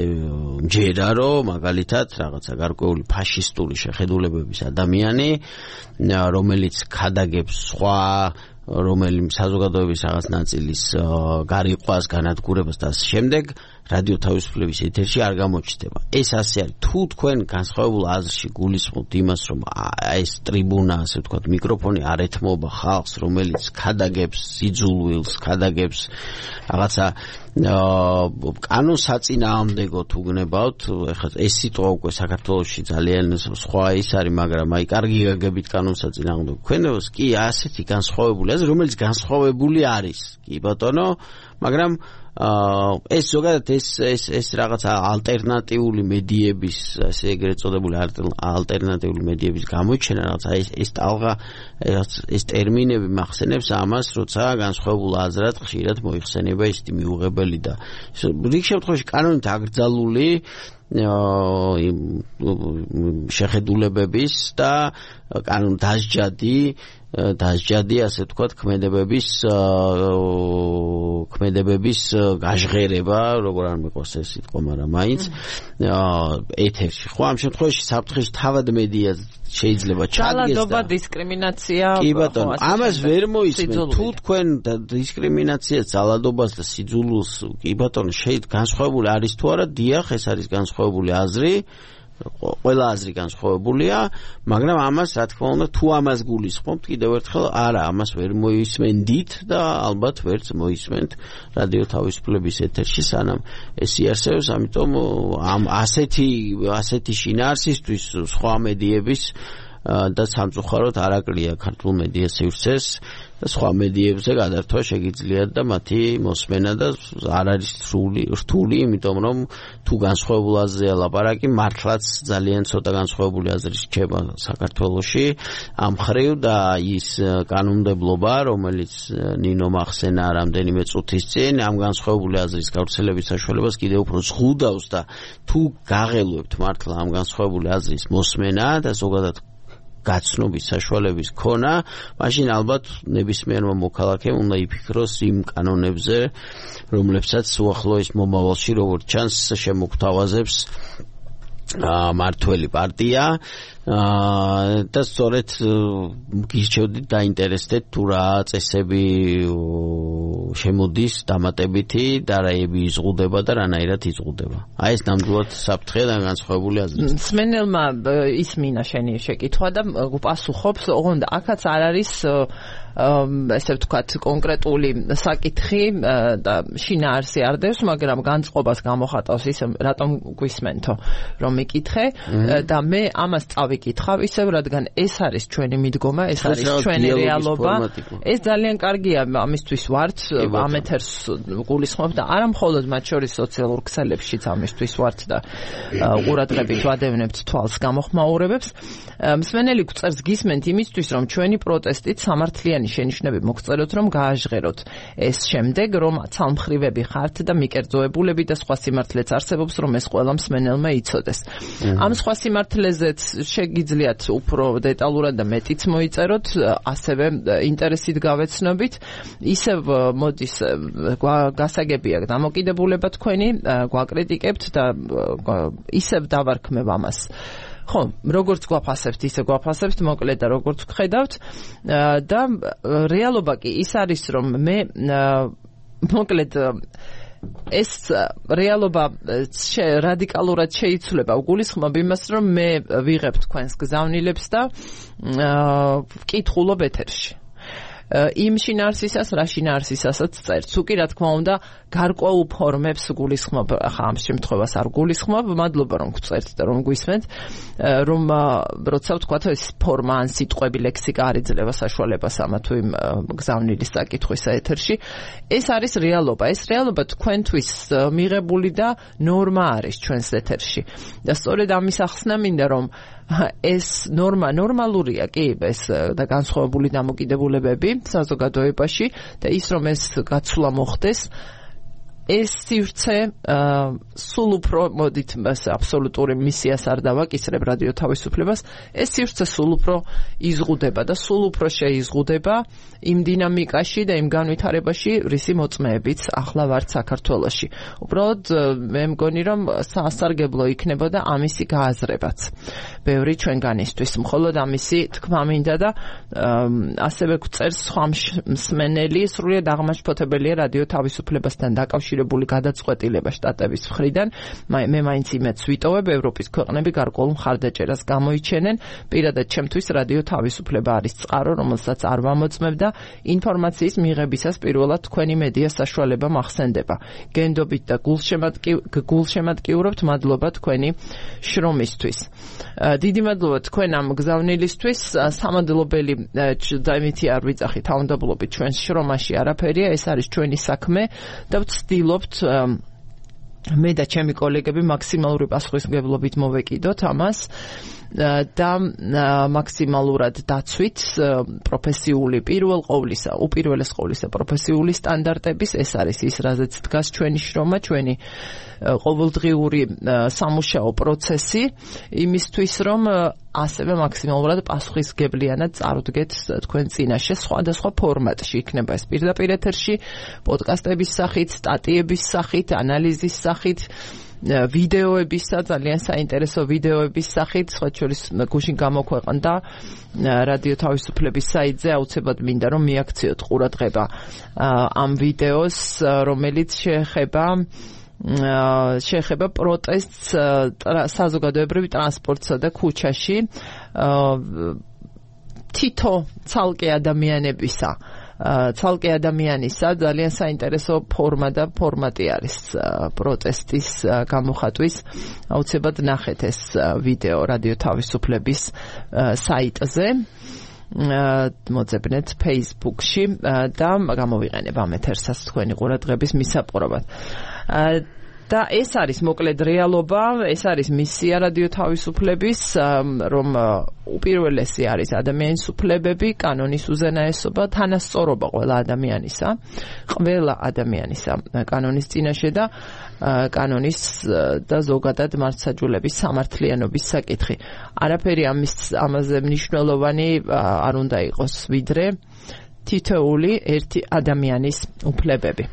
მჯერა, რომ მაგალითად რაღაცა გარკვეული ფაშისტური შეხედულებების ადამიანი, რომელიც ქადაგებს სხვა რომელიმე საზოგადოების რაღაც ნაწილის გარიყვას, განადგურებას და ამ შემდეგ რადიო თავისუფლების ეთერში არ გამოჩნდება. ეს ასე არის. თუ თქვენ განსხვავებულ აზრში გულისხმობთ იმას, რომ ეს ტრიბუნა, ასე ვთქვათ, მიკროფონი არ ეთმობა ხალხს, რომელიც ქადაგებს სიძულვილს, ქადაგებს რაღაცა კანონსაწინააღმდეგოთ უგნებავთ, ეხლა ეს სიტყვა უკვე საქართველოში ძალიან სხვა ის არის, მაგრამ აი კარგი გაგებით კანონსაწინააღმდეგო ქვენებას კი ასეთი განსხვავებული აზრი, რომელიც განსხვავებული არის. კი ბატონო, მაგრამ ეს ზოგადად ეს ეს ეს რაღაც ალტერნატიული მედიების, ასე ეგრეთ წოდებული ალტერნატიული მედიების გამოჩენა, რაღაც ეს ეს ტალღა ეს ტერმინები მახსენებს ამას, როცა განსხვავებულ აზრად ხშირად მოიხსენება ის მიუღებელი და რიგ შემთხვევაში კანონით აკრძალული შეხედულებების და კანონ დასჯადი დასჯადი, ასე ვთქვათ, ქმედებების ქმედებების გაჟღერება, როგორ არ მიყვარს ეს სიტყვა, მაგრამ მაინც ეთერში. ხო, ამ შემთხვევაში საფრთხეში თავად მედია შეიძლება ჩადგეს და ძალადობა, დისკრიმინაცია. კი ბატონო, ამას ვერ მოისმენთ. თუ თქვენ დისკრიმინაციას, ძალადობას და სიძულვილს, კი ბატონო, შეიძლება განსხვავებული არის თუ არა, დიახ, ეს არის განსხვავებული აზრი. ყველა აზრი განსხვავებულია, მაგრამ ამას რა თქმა უნდა თუ ამას გულისხმობთ, კიდევ ერთხელ არა, ამას ვერ მოისმენდით და ალბათ ვერც მოისმენთ რადიო თავისუფლების ეთერში, სანამ ეს იარსებებს, ამიტომ ამ ასეთი ასეთი შინაარსისთვის სხვა მედიების და სამწუხაროდ არ აკლია ქართულ მედიას სივრცეს და სხვა მედიებზე გადართვა შეგიძლიათ და მათი მოსმენა და არ არის რთული, რთული, იმიტომ რომ თუ განსხვავებულ აზრია ლაპარაკი, მართლაც ძალიან ცოტა განსხვავებული აზრი რჩება საქართველოში ამ მხრივ და ის კანონმდებლობა, რომელიც ნინო მახსენა რამდენიმე წუთის წინ, ამ განსხვავებული აზრის გავრცელების საშუალებას კიდევ უფრო ზღუდავს და თუ გაღელვებთ მართლა ამ განსხვავებული აზრის მოსმენა და ზოგადად გაცნობის საშუალების ქონა, მაშინ ალბათ ნებისმიერმა მოქალაქემ უნდა იფიქროს იმ კანონებზე, რომლებსაც უახლოეს მომავალში, როგორც ჩანს, შემოგთავაზებს მართველი პარტია და სწორედ გირჩევდით დაინტერესდეთ თუ რა წესები შემოდის დამატებითი და რაები იზღუდება და რანაირად იზღუდება. აი ეს ნამდვილად საფრთხეა და განსხვავებული აზრი. მსმენელმა ისმინა შენი შეკითხვა და პასუხობს, ოღონდ აქაც არ არის ესე ვთქვათ კონკრეტული საკითხი და შინაარსი არ დევს, მაგრამ განწყობას გამოხატავს ის რატომ გვისმენთო რომ მიკითხე და მე ამას წავიკითხავ ისევ, რადგან ეს არის ჩვენი მიდგომა, ეს არის ჩვენი რეალობა. ეს ძალიან კარგია, ამისთვის ვართ, ამ ეთერს გულისხმობ და არა მხოლოდ მათ შორის სოციალურ ქსელებშიც ამისთვის ვართ და ყურადღებით ვადევნებთ თვალს გამოხმაურებებს. მსმენელი გვწერს გისმენთ იმისთვის, რომ ჩვენი პროტესტით სამართლიანი ერთიანი შენიშვნები მოგწეროთ, რომ გააჟღეროთ ეს შემდეგ, რომ ცალმხრივები ხართ და მიკერძოებულები და სხვა სიმართლეც არსებობს, რომ ეს ყველა მსმენელმა იცოდეს. ამ სხვა სიმართლეზეც შეგიძლიათ უფრო დეტალურად და მეტიც მოიწეროთ, ასევე ინტერესით გავეცნობით. ისევ მოდის გასაგებია დამოკიდებულება თქვენი, გვაკრიტიკებთ და ისევ დავარქმევ ამას. ხო, როგორც გვაფასებთ, ისე გვაფასებთ, მოკლედ და როგორც ვხედავთ და რეალობა კი ის არის, რომ მე მოკლედ ეს რეალობა რადიკალურად შეიცვლება უგულისხმობ იმას, რომ მე ვიღებ თქვენს გზავნილებს და ვკითხულობ ეთერში. იმ შინაარსისას, რა შინაარსისასაც წერს. უკი რა თქმა უნდა, გარკვეულ ფორმებს გულისხმობ, ახლა ამ შემთხვევას არ გულისხმობ, მადლობა რომ გწერთ და რომ გვისმენთ, რომ როცა ვთქვათ, ეს ფორმა ან სიტყვები ლექსიკა არ იძლევა საშუალებას ამა თუ იმ გზავნილის საკითხვისა ეთერში. ეს არის რეალობა. ეს რეალობა თქვენთვის მიღებული და ნორმა არის ჩვენს ეთერში. და სწორედ ამის ახსნა მინდა, რომ ეს ნორმა ნორმალურია კი ეს და განსხვავებული დამოკიდებულებები საზოგადოებაში და ის რომ ეს გაცვლა მოხდეს ეს სივრცე სულ უფრო მოდით აბსოლუტური მისიას არ დავაკისრებ რადიო თავისუფლებას ეს სივრცე სულ უფრო იზღუდება და სულ უფრო შეიზღუდება იმ დინამიკაში და იმ განვითარებაში რისი მოწმეებიც ახლა ვართ საქართველოში უბრალოდ მე მგონი რომ სასარგებლო იქნებოდა ამისი გააზრებაც ბევრი ჩვენგანისთვის მხოლოდ ამისი თქმა მინდა და ასევე გვწერს სხვა მსმენელი სრულიად აღმაშფოთებელია რადიო თავისუფლებასთან დაკავშირებული გადაწყვეტილება შტატების მხრიდან მე მაინც იმედს ვიტოვებ ევროპის ქვეყნები გარკვეულ მხარდაჭერას გამოიჩენენ პირადად ჩემთვის რადიო თავისუფლება არის წყარო რომელსაც არ ვამოწმებ და ინფორმაციის მიღებისას პირველად თქვენი მედია საშუალება მახსენდება გენდობით და გულშემატკივრობთ მადლობა თქვენი შრომისთვის დიდი მადლობა თქვენ ამ გზავნილისთვის სამადლობელი დაიმითი არ ვიძახით თავმდაბლობით ჩვენს შრომაში არაფერია ეს არის ჩვენი საქმე და ვცდილობთ მე და ჩემი კოლეგები მაქსიმალური პასუხისმგებლობით მოვეკიდოთ ამას და მაქსიმალურად დაცვით პროფესიული პირველ ყოვლისა, უპირველეს ყოვლისა პროფესიული სტანდარტების ეს არის ის, რაზეც დგას ჩვენი შრომა, ჩვენი ყოველდღიური სამუშაო პროცესი, იმისთვის რომ ასევე მაქსიმალურად პასუხისმგებლიანად წარუდგეთ თქვენ წინაშე სხვადასხვა ფორმატში, იქნება ეს პირდაპირ ეთერში, პოდკასტების სახით, სტატიების სახით, ანალიზის სახით ვიდეოებისა ძალიან საინტერესო ვიდეოების სახით სხვა შორის გუშინ გამოქვეყნდა რადიო თავისუფლების საიტზე აუცილებლად მინდა რომ მიაქციოთ ყურადღება ამ ვიდეოს რომელიც შეეხება შეეხება პროტესტს საზოგადოებრივ ტრანსპორტსა და ქუჩაში თითო ცალკე ადამიანებისა ცალკე ადამიანისა ძალიან საინტერესო ფორმა და ფორმატი არის პროტესტის გამოხატვის აუცილებლად ნახეთ ეს ვიდეო რადიო თავისუფლების საიტზე მოძებნეთ Facebook-ში და გამოვიყენებ ამ ეთერსაც თქვენი ყურადღების მისაპყრობად და ეს არის მოკლედ რეალობა, ეს არის მისია რადიო თავისუფლების, რომ უპირველესი არის ადამიანის უფლებები, კანონის უზენაესობა, თანასწორობა ყველა ადამიანისა, ყველა ადამიანისა კანონის წინაშე და კანონის და ზოგადად მართლმსაჯულების სამართლიანობის საკითხი. არაფერი ამის ამაზე მნიშვნელოვანი არ უნდა იყოს, ვიდრე თითოეული ერთი ადამიანის უფლებები.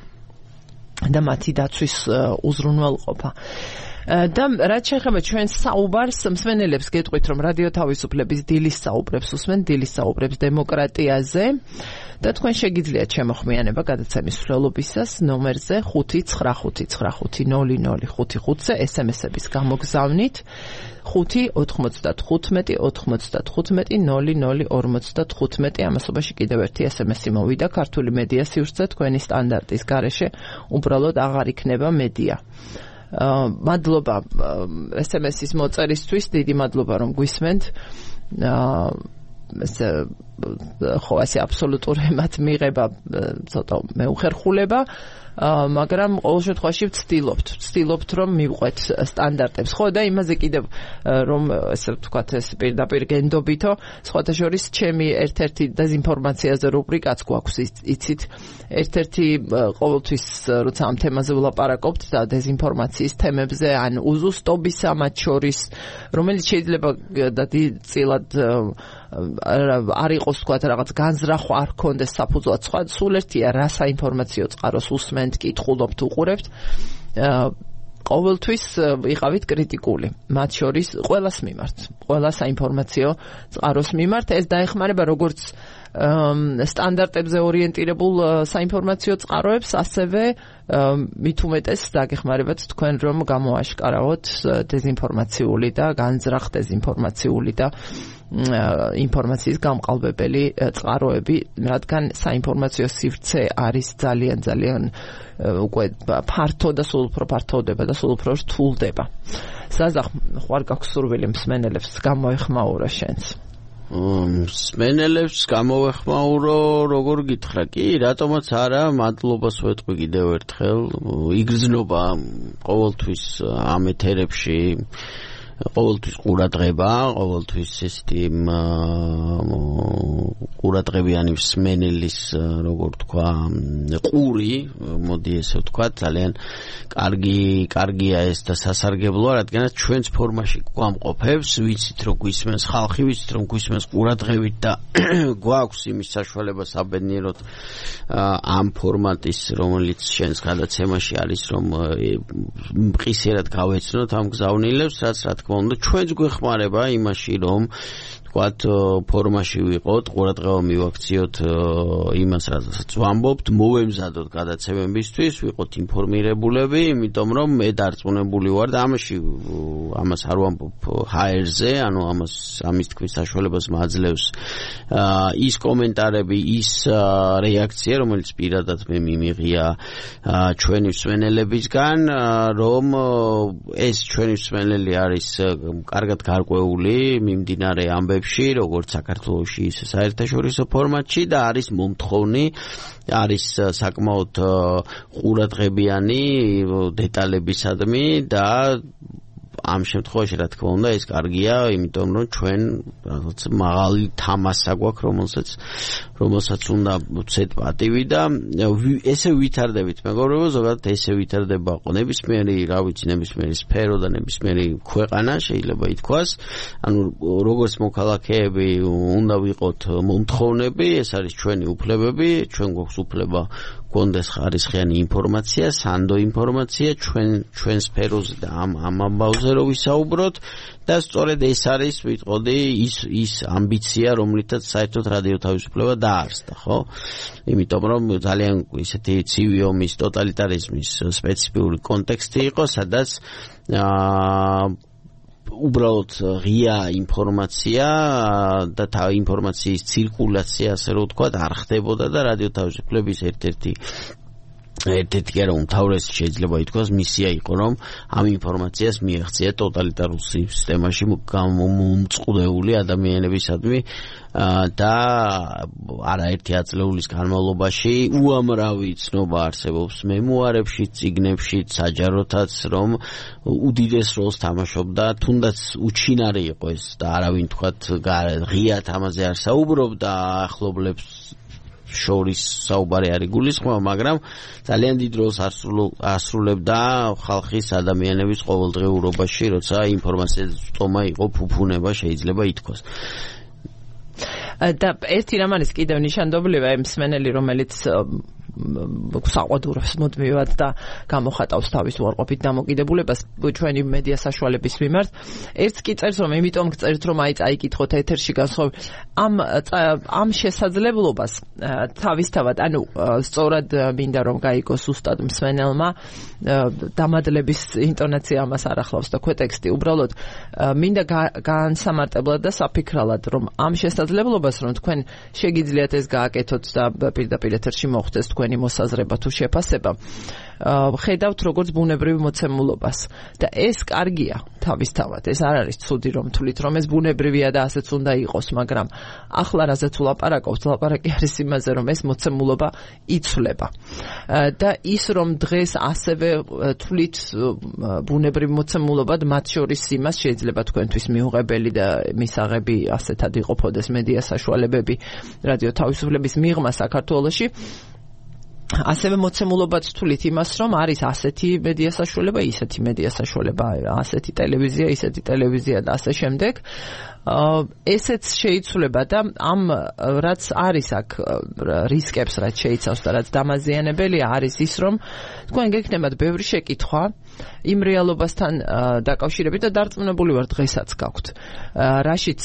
და მათი დაცვის უზრუნველყოფა. და რაც შეეხება ჩვენს საუბარს, მსმენელებს გეტყვით, რომ რადიო თავისუფლების დილის საუბრებს უსმენ, დილის საუბრებს დემოკრატიაზე და თქვენ შეგიძლიათ შემოხმიანება გადაცემის მსვლელობისას ნომერზე ხუთი ცხრა ხუთი ცხრა ხუთი ნული ნული ხუთი ხუთზე ეს ემ ესების გამოგზავნით ხუთი ოთხმოცდათხუთმეტი ოთხმოცდათხუთმეტი ნული ნული ორმოცდათხუთმეტი ამასობაში კიდევ ერთი ეს ემ ესი მოვიდა ქართული მედია სივრცე თქვენი სტანდარტის გარეშე უბრალოდ აღარ იქნება მედია მადლობა ეს ემ ესის მოწერისთვის დიდი მადლობა რომ გვისმენთ ეს ხო ასე აბსოლუტური მათ მიღება ცოტა მეუხერხულება მაგრამ ყოველ შემთხვევაში ვცდილობთ ვცდილობთ რომ მივყვეთ სტანდარტებს ხო და იმაზე კიდევ რომ ესე ვთქვათ ეს პირდაპირ გენდობითო სხვათა შორის ჩემი ერთ-ერთი დეზინფორმაციაზე რუბრიკაც გვაქვს იცით ერთ-ერთი ყოველთვის როცა ამ თემაზე ვლაპარაკობთ და დეზინფორმაციის თემებზე ან უზუსტობისა მათ შორის რომელიც შეიძლება და წილად არ იყოს თქვა რაღაც განზრახვა არ ქონდეს საფუძვლად სხვა სულ ერთია რა საინფორმაციო წყაროს უსმენთ კითხულობთ უყურებთ ყოველთვის ვიყავით კრიტიკული მათ შორის ყველას მიმართ ყველა საინფორმაციო წყაროს მიმართ ეს დაეხმარება როგორც სტანდარტებზე ორიენტირებულ საინფორმაციო წყაროებს ასევე მით უმეტეს დაგეხმარებათ თქვენ რომ გამოაშკარავთ დეზინფორმაციული და განზრახ დეზინფორმაციული და ინფორმაციის გამყალბებელი წყაროები რადგან საინფორმაციო სივრცე არის ძალიან ძალიან უკვე ფართო და სულ უფრო ფართოვდება და სულ უფრო რთულდება საზახ ხوار გაქვს სურვილი მსმენელებს გამოეხმაურა შენს მსმენელებს გამოეხმაურო როგორ გითხრა კი რატომაც არა მადლობას ვეთქვი კიდევ ერთხელ იგრძნობა ყოველთვის ამ ეთერებში ყოველთვის ყურადღება ყოველთვის ესეთი ყურადღებიანი მსმენელის როგორ თქვა ყური მოდი ესე ვთქვა ძალიან კარგი კარგია ეს და სასარგებლოა რადგანაც ჩვენს ფორმაში გვამყოფებს ვიცით რომ გვისმენს ხალხი ვიცით რომ გვისმენს ყურადღებით და გვაქვს იმის საშუალება საბედნიეროდ ამ ფორმატის რომელიც შენს გადაცემაში არის რომ მყისიერად გავეცნოთ ამ გზავნილებს რაც რა თქმა უნდა ჩვენც გვეხმარება იმაში რომ ვთქვათ ფორმაში ვიყოთ ყურადღება მივაქციოთ იმას რასაც ვამბობთ მოვემზადოთ გადაცემებისთვის ვიყოთ ინფორმირებულები იმიტომ რომ მე დარწმუნებული ვარ და ამაში ამას არ ვამბობ ჰაერზე ანუ ამას ამის თქვის საშუალებას მაძლევს ის კომენტარები ის რეაქცია რომელიც პირადად მე მიმიღია ჩვენი მსმენელებისგან რომ ეს ჩვენი მსმენელი არის კარგად გარკვეული მიმდინარე ამბებში როგორც საქართველოში ისე საერთაშორისო ფორმატში და არის მომთხოვნი არის საკმაოდ ყურადღებიანი დეტალებისადმი და ამ შემთხვევაში რა თქმა უნდა ეს კარგია იმიტომ რომ ჩვენ რაღაც მაღალი თამასა გვაქვს რომელსაც რომელსაც უნდა ვცეთ პატივი და ესე ვითარდებით მეგობრებო ზოგადად ესე ვითარდება ნებისმიერი რა ვიცი ნებისმიერი სფერო და ნებისმიერი ქვეყანა შეიძლება ითქვას ანუ როგორც მოქალაქეები უნდა ვიყოთ მომთხოვნები ეს არის ჩვენი უფლებები ჩვენ გვაქვს უფლება კონდეს ხარისხიანი ინფორმაცია, სანდო ინფორმაცია ჩვენ ჩვენ სფეროზე და ამ ამ ამბავზე რო ვისაუბროთ და სწორედ ეს არის ვიტყოდი ის ის ამბიცია რომლითაც საერთოდ რადიო თავისუფლება დაარსდა, ხო? იმიტომ რომ ძალიან ისეთი ცივი ომის ტოტალიტარიზმის სპეციფიკური კონტექსტი იყო, სადაც აა უბრალოდ ღია ინფორმაცია და თავ ინფორმაციის ცირკულაცია ასე რომ ვთქვათ არ ხდებოდა და რადიო თავისუფლების ერთ-ერთი ერთ-ერთი კი არა უმთავრესი შეიძლება ითქვას მისია იყო რომ ამ ინფორმაციას მიეღწია ტოტალიტარულ სისტემაში გამომწყდეული ადამიანებისადმი და არაერთი ათწლეულის განმავლობაში უამრავი ცნობა არსებობს მემუარებში, წიგნებში, საჯაროთაც რომ უდიდეს როლს თამაშობდა, თუნდაც უჩინარი იყო ეს და არავინ თქვათ ღიად ამაზე არ საუბრობდა ახლობლებს შორის საუბარი არ იგულისხმება, მაგრამ ძალიან დიდ როლს ასრულებდა ხალხის ადამიანების ყოველდღიურობაში, როცა ინფორმაციის სტომა იყო ფუფუნება, შეიძლება ითქვას. და ერთი რამ არის კიდევ ნიშანდობლივი ამ მსმენელი რომელიც საყვადურობს მუდმივად და გამოხატავს თავის უარყოფით დამოკიდებულებას ჩვენი მედია საშუალების მიმართ. ერთს კი წერს რომ იმიტომ გწერთ რომ აი წაიკითხოთ ეთერში განსხვავ ამ ამ შესაძლებლობას თავისთავად ანუ სწორად მინდა რომ გაიგოს უსტად მსმენელმა დამადლების ინტონაცია ამას არ ახლავს და ქვეტექსტი უბრალოდ მინდა განსამარტებლად და საფიქრალად რომ ამ შესაძლებლობას რომ თქვენ შეგიძლიათ ეს გააკეთოთ და პირდაპირ ეთერში მოხვდეს თქვენ თქვენი მოსაზრება თუ შეფასება ხედავთ როგორც ბუნებრივ მოცემულობას და ეს კარგია თავისთავად ეს არ არის ცუდი რომ თვლით რომ ეს ბუნებრივია და ასეც უნდა იყოს მაგრამ ახლა რაზეც ვლაპარაკობთ ლაპარაკი არის იმაზე რომ ეს მოცემულობა იცვლება და ის რომ დღეს ასევე თვლით ბუნებრივ მოცემულობად მათ შორის იმას შეიძლება თქვენთვის მიუღებელი და მისაღები ასეთად იყოფოდეს მედია საშუალებები რადიო თავისუფლების მიღმა საქართველოში ასევე მოცემულობად თვლით იმას რომ არის ასეთი მედია საშუალება ისეთი მედია საშუალება ასეთი ტელევიზია ისეთი ტელევიზია და ასე შემდეგ ესეც შეიცვლება და ამ რაც არის აქ რისკებს რაც შეიცავს და რაც დამაზიანებელია არის ის რომ თქვენ გექნებათ ბევრი შეკითხვა იმ რეალობასთან დაკავშირებით და დარწმუნებული ვარ დღესაც გაქვთ რაშიც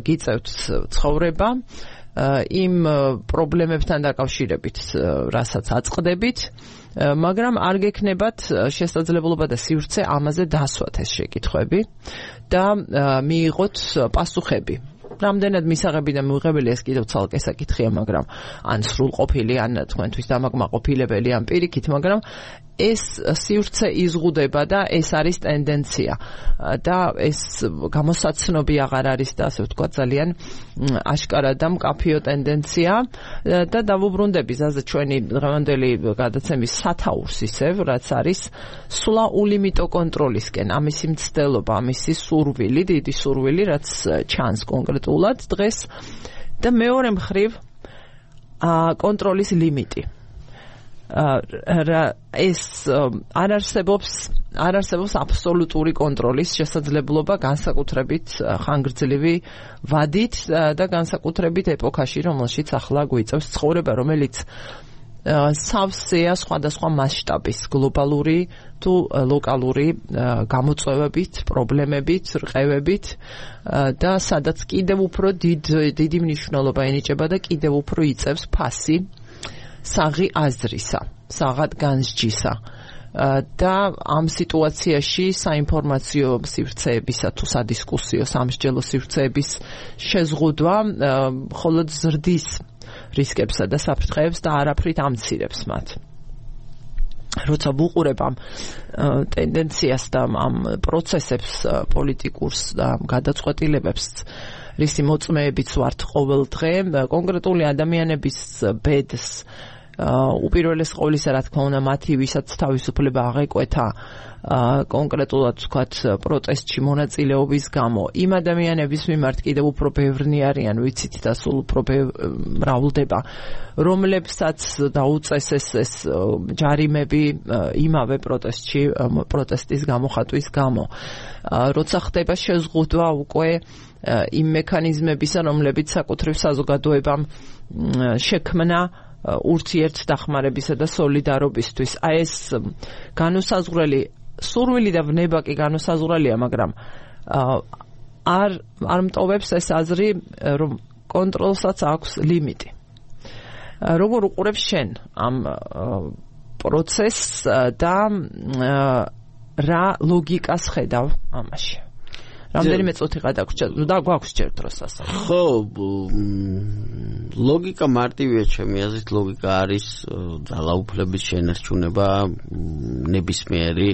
გიწევთ ცხოვრება იმ პრობლემებთან დაკავშირებით რასაც აწყდებით მაგრამ არ გექნებათ შესაძლებლობა და სივრცე ამაზე დასვათ ეს შეკითხვები და მიიღოთ პასუხები რამდენად მისაღები და მიუღებელი ეს კიდევ ცალკე საკითხია მაგრამ ან სრულყოფილი ან თქვენთვის დამაკმაყოფილებელი ან პირიქით მაგრამ ეს სივრცე იზღუდება და ეს არის ტენდენცია და ეს გამოსაცნობი აღარ არის და ასე ვთქვათ ძალიან აშკარა და მკაფიო ტენდენცია და დავუბრუნდები ზაზე ჩვენი დღევანდელი გადაცემის სათაურს ისევ რაც არის სულა ულიმიტო კონტროლისკენ ამისი მცდელობა ამისი სურვილი დიდი სურვილი რაც ჩანს კონკრეტულად დღეს და მეორე მხრივ კონტროლის ლიმიტი ეს არ არსებობს არ არსებობს აბსოლუტური კონტროლის შესაძლებლობა განსაკუთრებით ხანგრძლივი ვადით და განსაკუთრებით ეპოქაში რომელშიც ახლა გვიწევს ცხოვრება რომელიც სავსეა სხვადასხვა მასშტაბის გლობალური თუ ლოკალური გამოწვევებით, პრობლემებით, რყევებით და სადაც კიდევ უფრო დიდი მნიშვნელობა ენიჭება და კიდევ უფრო იწევს ფასი საღი აზრისა, საღად განსჯისა და ამ სიტუაციაში საინფორმაციო სივრცეებისა თუ სადისკუსიო სამსჯელო სივრცეების შეზღუდვა მხოლოდ ზრდის რისკებსა და საფრთხეებს და არაფრით ამცირებს მათ. როცა ვუყურებ ამ ტენდენციას და ამ პროცესებს პოლიტიკურს და გადაწყვეტილებებს რისი მოწმეებიც ვართ ყოველ დღე კონკრეტული ადამიანების ბედს უპირველეს ყოვლისა რა თქმა უნდა მათი ვისაც თავისუფლება აღეკვეთა კონკრეტულად ვთქვათ პროტესტში მონაწილეობის გამო იმ ადამიანების მიმართ კიდევ უფრო ბევრნი არიან ვიცით და სულ უფრო მრავლდება რომლებსაც დაუწესეს ეს ჯარიმები იმავე პროტესტში პროტესტის გამოხატვის გამო როცა ხდება შეზღუდვა უკვე იმ მექანიზმებისა რომლებიც საკუთრივ საზოგადოებამ შექმნა ურთიერთ დახმარებისა და სოლიდარობისთვის. აი ეს განუსაზღვრელი სურვილი და ვნება კი განუსაზღვრელია, მაგრამ არ არ მტოვებს ეს აზრი, რომ კონტროლსაც აქვს ლიმიტი. როგორ უყურებ შენ ამ პროცესს და რა ლოგიკას ხედავ ამაში? რამდენიმე წუთი გადაგვრჩა და გვაქვს ჯერ დროს ასე. ხო, ლოგიკა მარტივია ჩემი აზრით, ლოგიკა არის ძალაუფლების შენარჩუნება ნებისმიერი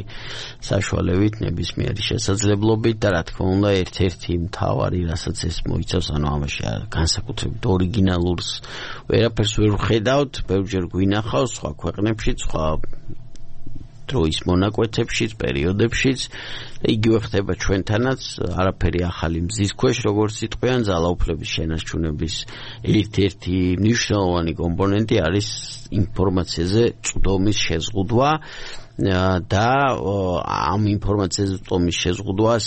საშუალებით, ნებისმიერი შესაძლებლობით და რა თქმა უნდა ერთ-ერთი მთავარი, რასაც ეს მოიცავს, ანუ ამაში განსაკუთრებით ორიგინალურს ვერაფერს ვერ ვხედავთ, ბევრჯერ გვინახავს სხვა ქვეყნებში, სხვა დროის მონაკვეთებშიც, პერიოდებშიც იგივე ხდება ჩვენთანაც, არაფერი ახალი მზის ქვეშ, როგორც იტყვიან, ძალაუფლების შენარჩუნების ერთ-ერთი მნიშვნელოვანი კომპონენტი არის ინფორმაციაზე წვდომის შეზღუდვა და ამ ინფორმაციაზე წვდომის შეზღუდვას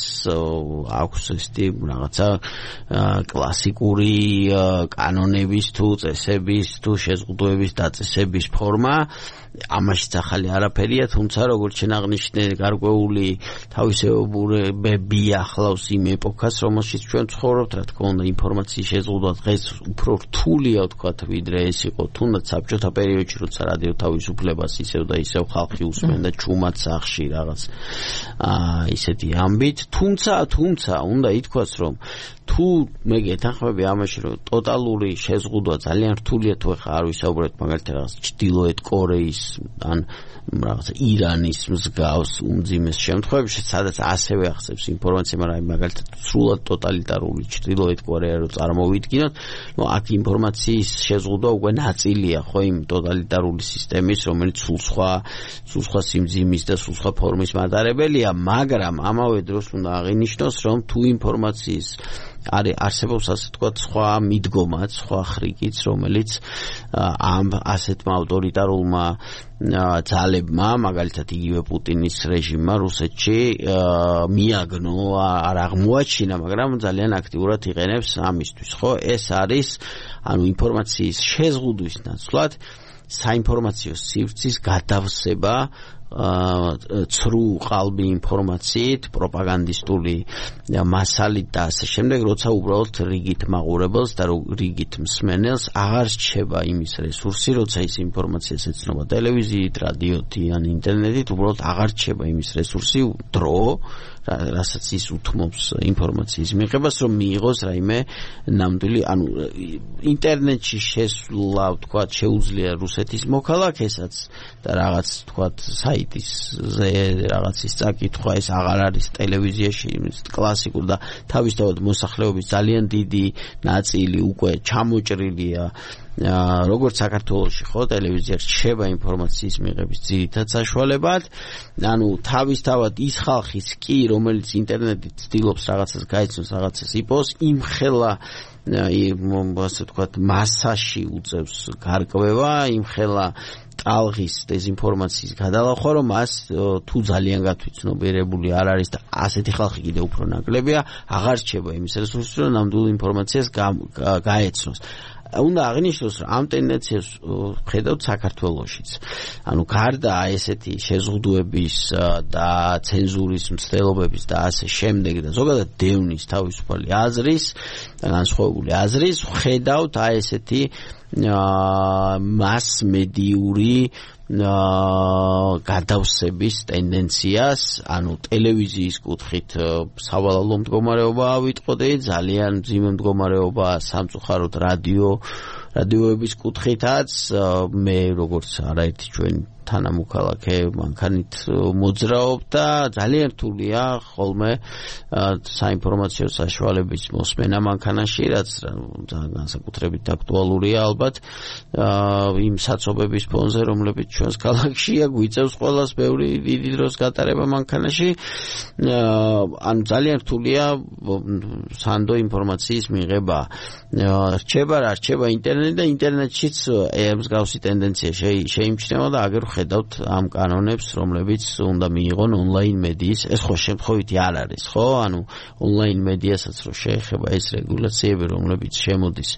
აქვს ესეთი რაღაცა კლასიკური კანონების თუ წესების თუ შეზღუდვების დაწესების ფორმა ამაშიც ახალი არაფერია, თუმცა როგორც შენ აღნიშნე, გარკვეული თავისებურებები ახლავს იმ ეპოქას, რომელშიც ჩვენ ცხოვრობთ, რა თქმა უნდა, ინფორმაციის შეზღუდვა დღეს უფრო რთულია, ვთქვათ, ვიდრე ეს იყო თუნდაც საბჭოთა პერიოდში, როცა რადიო თავისუფლებას ისევ და ისევ ხალხი უსმენდა ჩუმად სახში რაღაც აა ისეთი ამბით, თუმცა, თუმცა უნდა ითქვას, რომ თუ მე გეთანხმები ამაში რომ ტოტალური შეზღუდვა ძალიან რთულია თუ ხა არ ვისაუბრეთ მაგალითად რაღაც ჩრდილოეთ კორეის ან რაღაც ირანის მსგავს უმძიმეს შემთხვევებში სადაც ასევე ახსებს ინფორმაცია მაგრამ მაგალითად სრულად ტოტალიტარული ჩრდილოეთ კორეა რო წარმოვიდგინოთ ნუ აქ ინფორმაციის შეზღუდვა უკვე ნაწილია ხო იმ ტოტალიტარული სისტემის რომელიც სულ სხვა სულ სხვა სიმძიმის და სულ სხვა ფორმის მატარებელია მაგრამ ამავე დროს უნდა აღინიშნოს რომ თუ ინფორმაციის არის არსებობს ასე თქვათ სხვა მიდგომაც, სხვა ხრიკიც, რომელიც ამ ასეთმა ავტორიტარულმა ძალებმა, მაგალითად იგივე პუტინის რეჟიმმა რუსეთში მიაგნო, არ აღმოაჩინა, მაგრამ ძალიან აქტიურად იყენებს ამისთვის, ხო? ეს არის ანუ ინფორმაციის შეზღუდვის ნაცვლად საინფორმაციო სივრცის გადავსება ცრუ ყალბი ინფორმაციით, პროპაგანდისტული მასალით და ასე შემდეგ, როცა უბრალოდ რიგით მაყურებელს და რიგით მსმენელს აღარ რჩება იმის რესურსი, როცა ის ინფორმაციას ეცნობა ტელევიზიით, რადიოთი ან ინტერნეტით, უბრალოდ აღარ რჩება იმის რესურსი, დრო, რასაც ის უთმობს ინფორმაციის მიღებას, რომ მიიღოს რაიმე ნამდვილი, ანუ ინტერნეტში შესვლა, თქვა, შეუძლია რუსეთის მოქალაქესაც და რაღაც, თქვა, საიტისზე რაღაცის წაკითხვა, ეს აღარ არის ტელევიზიაში, კლასიკურ და თავისთავად მოსახლეობის ძალიან დიდი ნაწილი უკვე ჩამოჭრილია როგორც საქართველოში ხო ტელევიზია რჩება ინფორმაციის მიღების ძირითად საშუალებად ანუ თავისთავად ის ხალხის კი რომელიც ინტერნეტით ცდილობს რაღაცას გაიცნოს რაღაცას იპოვოს იმხელა ასე ვთქვათ მასაში უწევს გარკვევა იმხელა ტალღის დეзинფორმაციის გადალახვა რომ მას თუ ძალიან გათვითცნობიერებული არ არის და ასეთი ხალხი კიდევ უფრო ნაკლებია აღარ რჩება იმის რესურსი რომ ნამდვილ ინფორმაციას გაეცნოს უნდა აღნიშნოს რომ ამ ტენდენციას ხედავთ საქართველოშიც. ანუ გარდა ესეთი შეზღუდვების და ცენზურის მცდელობების და ასე შემდეგ და ზოგადად დევნის თავისუფალი აზრის და განსხვავებული აზრის ხედავთ აი ესეთი მასმედიური გადავსების ტენდენციას, ანუ ტელევიზიის კუთხით სავალალო მდგომარეობა ავიტყოდე, ძალიან მძიმე მდგომარეობა სამწუხაროდ რადიო რადიოების კუთხითაც მე როგორც არაერთი ჩვენ თანამოქალაქე მანქანით მოძრაობ და ძალიან რთულია ხოლმე საინფორმაციო საშუალების მოსმენა მანქანაში, რაც განსაკუთრებით აქტუალურია ალბათ იმ საცობების ფონზე, რომლებიც ჩვენს ქალაქშია, გვიწევს ყველას ბევრი დიდი დროს გატარება მანქანაში. ანუ ძალიან რთულია სანდო ინფორმაციის მიღება. რჩება რა, რჩება ინტერნეტი და ინტერნეტშიც მსგავსი ტენდენცია შეიმჩნევა და აგერ ხედავთ ამ კანონებს, რომლებიც უნდა მიიღონ ონლაინ მედიის, ეს ხო შემთხვევითი არ არის, ხო? ანუ ონლაინ მედიასაც რო შეეხება ეს რეგულაციები, რომლებიც შემოდის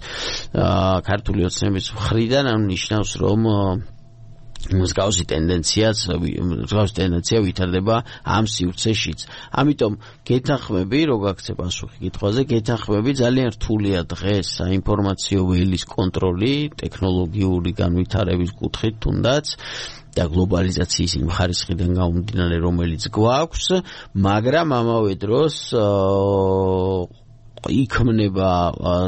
ქართული ოცნების მხრიდან, ანუ ნიშნავს, რომ მსგავსი ტენდენციაც, მსგავსი ტენდენცია ვითარდება ამ სივრცეშიც. ამიტომ გეთანხმები, რო გაქცევ პასუხი კითხვაზე, გეთანხმები ძალიან რთულია დღეს საინფორმაციო ველის კონტროლი, ტექნოლოგიური განვითარების კუთხით თუნდაც და გლობალიზაციის იმ ხარისხიდან გამომდინარე, რომელიც გვაქვს, მაგრამ ამავე დროს იქმნება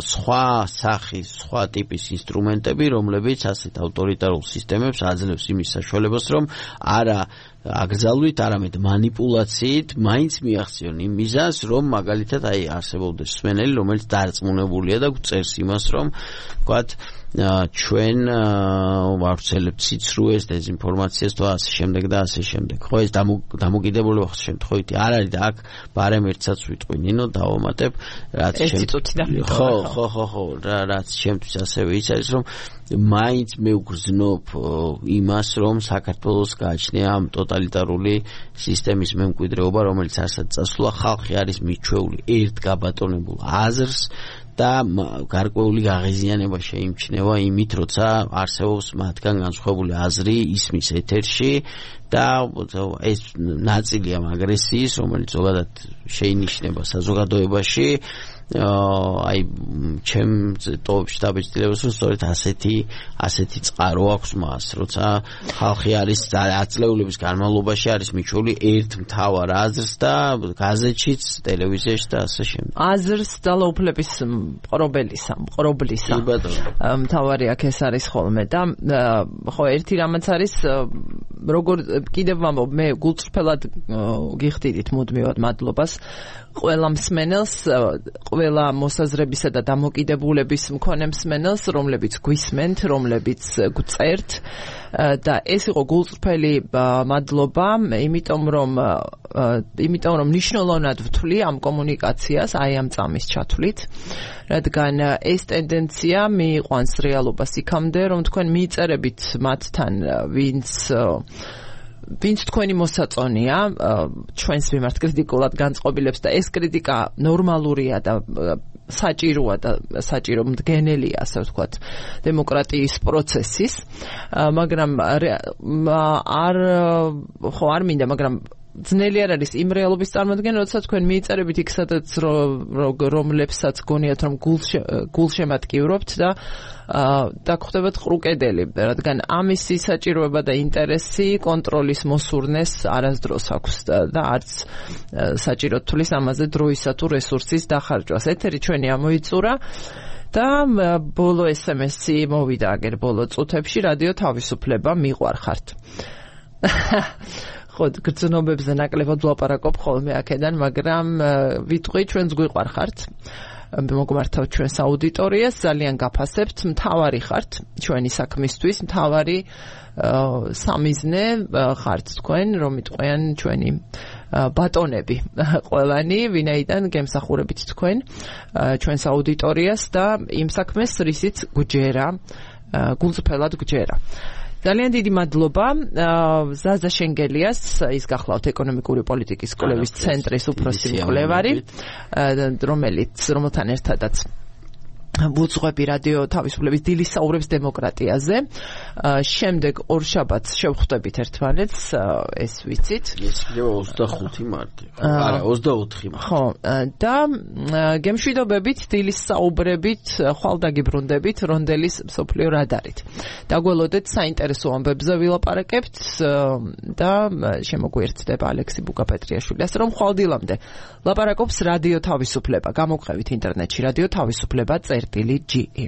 სხვა სახის, სხვა ტიპის ინსტრუმენტები, რომლებიც ასეთ ავტორიტარულ სისტემებს აძლევს იმის საშუალებას, რომ არა აკრძალვით, არამედ манипуляციით მაინც მიაღწიონ იმ მიზანს, რომ მაგალითად აი არსებობდეს მსმენელი, რომელიც დარწმუნებულია და გვწერს იმას, რომ ვთქვათ ჩვენ ვავრცელებთ სიცრუეს, დეзинფორმაციას და ასე შემდეგ და ასე შემდეგ. ხო, ეს დამოკიდებულება შემთხვევითი არ არის და აქ ბარემ ერთსაც ვიტყვი, ნინო, დავამატებ, რაც ხო, ხო, ხო, ხო, რაც შემთთვის ასევე ის არის, რომ მაინც მე ვგრძნობ იმას, რომ საქართველოს გააჩნია ამ ტოტალიტარული სისტემის მემკვიდრეობა, რომელიც არცად წასულა, ხალხი არის მიჩვეული ერთ გაბატონებულ აზრს და გარკვეული გაღიზიანება შეიმჩნევა იმით, როცა არსებობს მათგან განსხვავებული აზრი ისმის ეთერში და ეს ნაწილია აგრესიის, რომელიც ზოგადად შეინიშნება საზოგადოებაში აი ჩემ ტოპში დაბეჭდილებას რომ სწორედ ასეთი ასეთი წყარო აქვს მას, როცა ხალხი არის ათწლეულების განმავლობაში არის მიჩვეული ერთ მთავარ აზრს და გაზეთშიც, ტელევიზიაში და ასე შემდეგ. აზრს ძალაუფლების მყრობელისა, მყრობლისა. მთავარი აქ ეს არის ხოლმე და ხო ერთი რამაც არის როგორ კიდევ ვამბობ მე გულწრფელად გიხდიდით მუდმივად მადლობას ყველა მსმენელს, ყველა მოსაზრებისა და დამოკიდებულების მქონე მსმენელს, რომლებიც გვისმენთ, რომლებიც გწერთ და ეს იყო გულწრფელი მადლობა, იმიტომ რომ იმიტომ რომ მნიშვნელოვნად ვთვლი ამ კომუნიკაციას, აი ამ წამის ჩათვლით, რადგან ეს ტენდენცია მიიყვანს რეალობას იქამდე, რომ თქვენ მიიწერებით მათთან, ვინც ვინც თქვენი მოსაწონია ჩვენს მიმართ კრიტიკულად განწყობილებს და ეს კრიტიკა ნორმალურია და საჭიროა და საჭირო მდგენელია, ასე ვთქვათ, დემოკრატიის პროცესის, მაგრამ არ ხო არ მინდა, მაგრამ ძნელი არ არის იმ რეალობის წარმოადგენა, როცა თქვენ მიიწერებით იქ სადაც რომლებსაც გონიათ რომ გულშემატკივრობთ და და ხდებათ ყრუკედელი, რადგან ამისი საჭიროება და ინტერესი კონტროლის მოსურნეს არასდროს აქვს და არც საჭირო თulis ამაზე დროისა თუ რესურსის დახარჯვას. ეთერი ჩვენი ამოიწურა და ბოლო ესემესი მოვიდა აგერ ბოლო წუთებში რადიო თავისუფლება მიყვარხართ. ხო, გრძნობებზე ნაკლებად ვლაპარაკობ ხოლმე აქედან, მაგრამ ვიტყვი ჩვენს გვიყვარხართ. მოგმართავთ ჩვენს აუდიტორიას, ძალიან გაფასებთ, მთავარი ხართ ჩვენი საქმისთვის, მთავარი სამიზნე ხართ თქვენ, რომ იტყვიან ჩვენი ბატონები ყველანი, ვინაიდან გემსახურებით თქვენ ჩვენს აუდიტორიას და იმ საქმეს, რისიც გვჯერა, გულწრფელად გვჯერა. ძალიან დიდი მადლობა ზაზა შენგელიას, ის გახლავთ ეკონომიკური პოლიტიკის კვლევის ცენტრის უფროსი მკვლევარი, რომელიც რომელთან ერთადაც ვუძღვები რადიო თავისუფლების დილის საუბრებს დემოკრატიაზე. შემდეგ ორშაბათს შევხვდებით ერთმანეთს, ეს ვიცით. ეს იქნება ოცდახუთი მარტი. არა, ოცდაოთხი მარტი. ხო, და გემშვიდობებით დილის საუბრებით, ხვალ დაგიბრუნდებით რონდელის მსოფლიო რადარით. დაგველოდეთ საინტერესო ამბებზე ვილაპარაკებთ და შემოგვიერთდება ალექსი ბუკაპეტრიაშვილი. ასე რომ ხვალ დილამდე ლაპარაკობს რადიო თავისუფლება. გამოგხევით ინტერნეტში რადიო თავისუფლება წერტილი ჯი ი.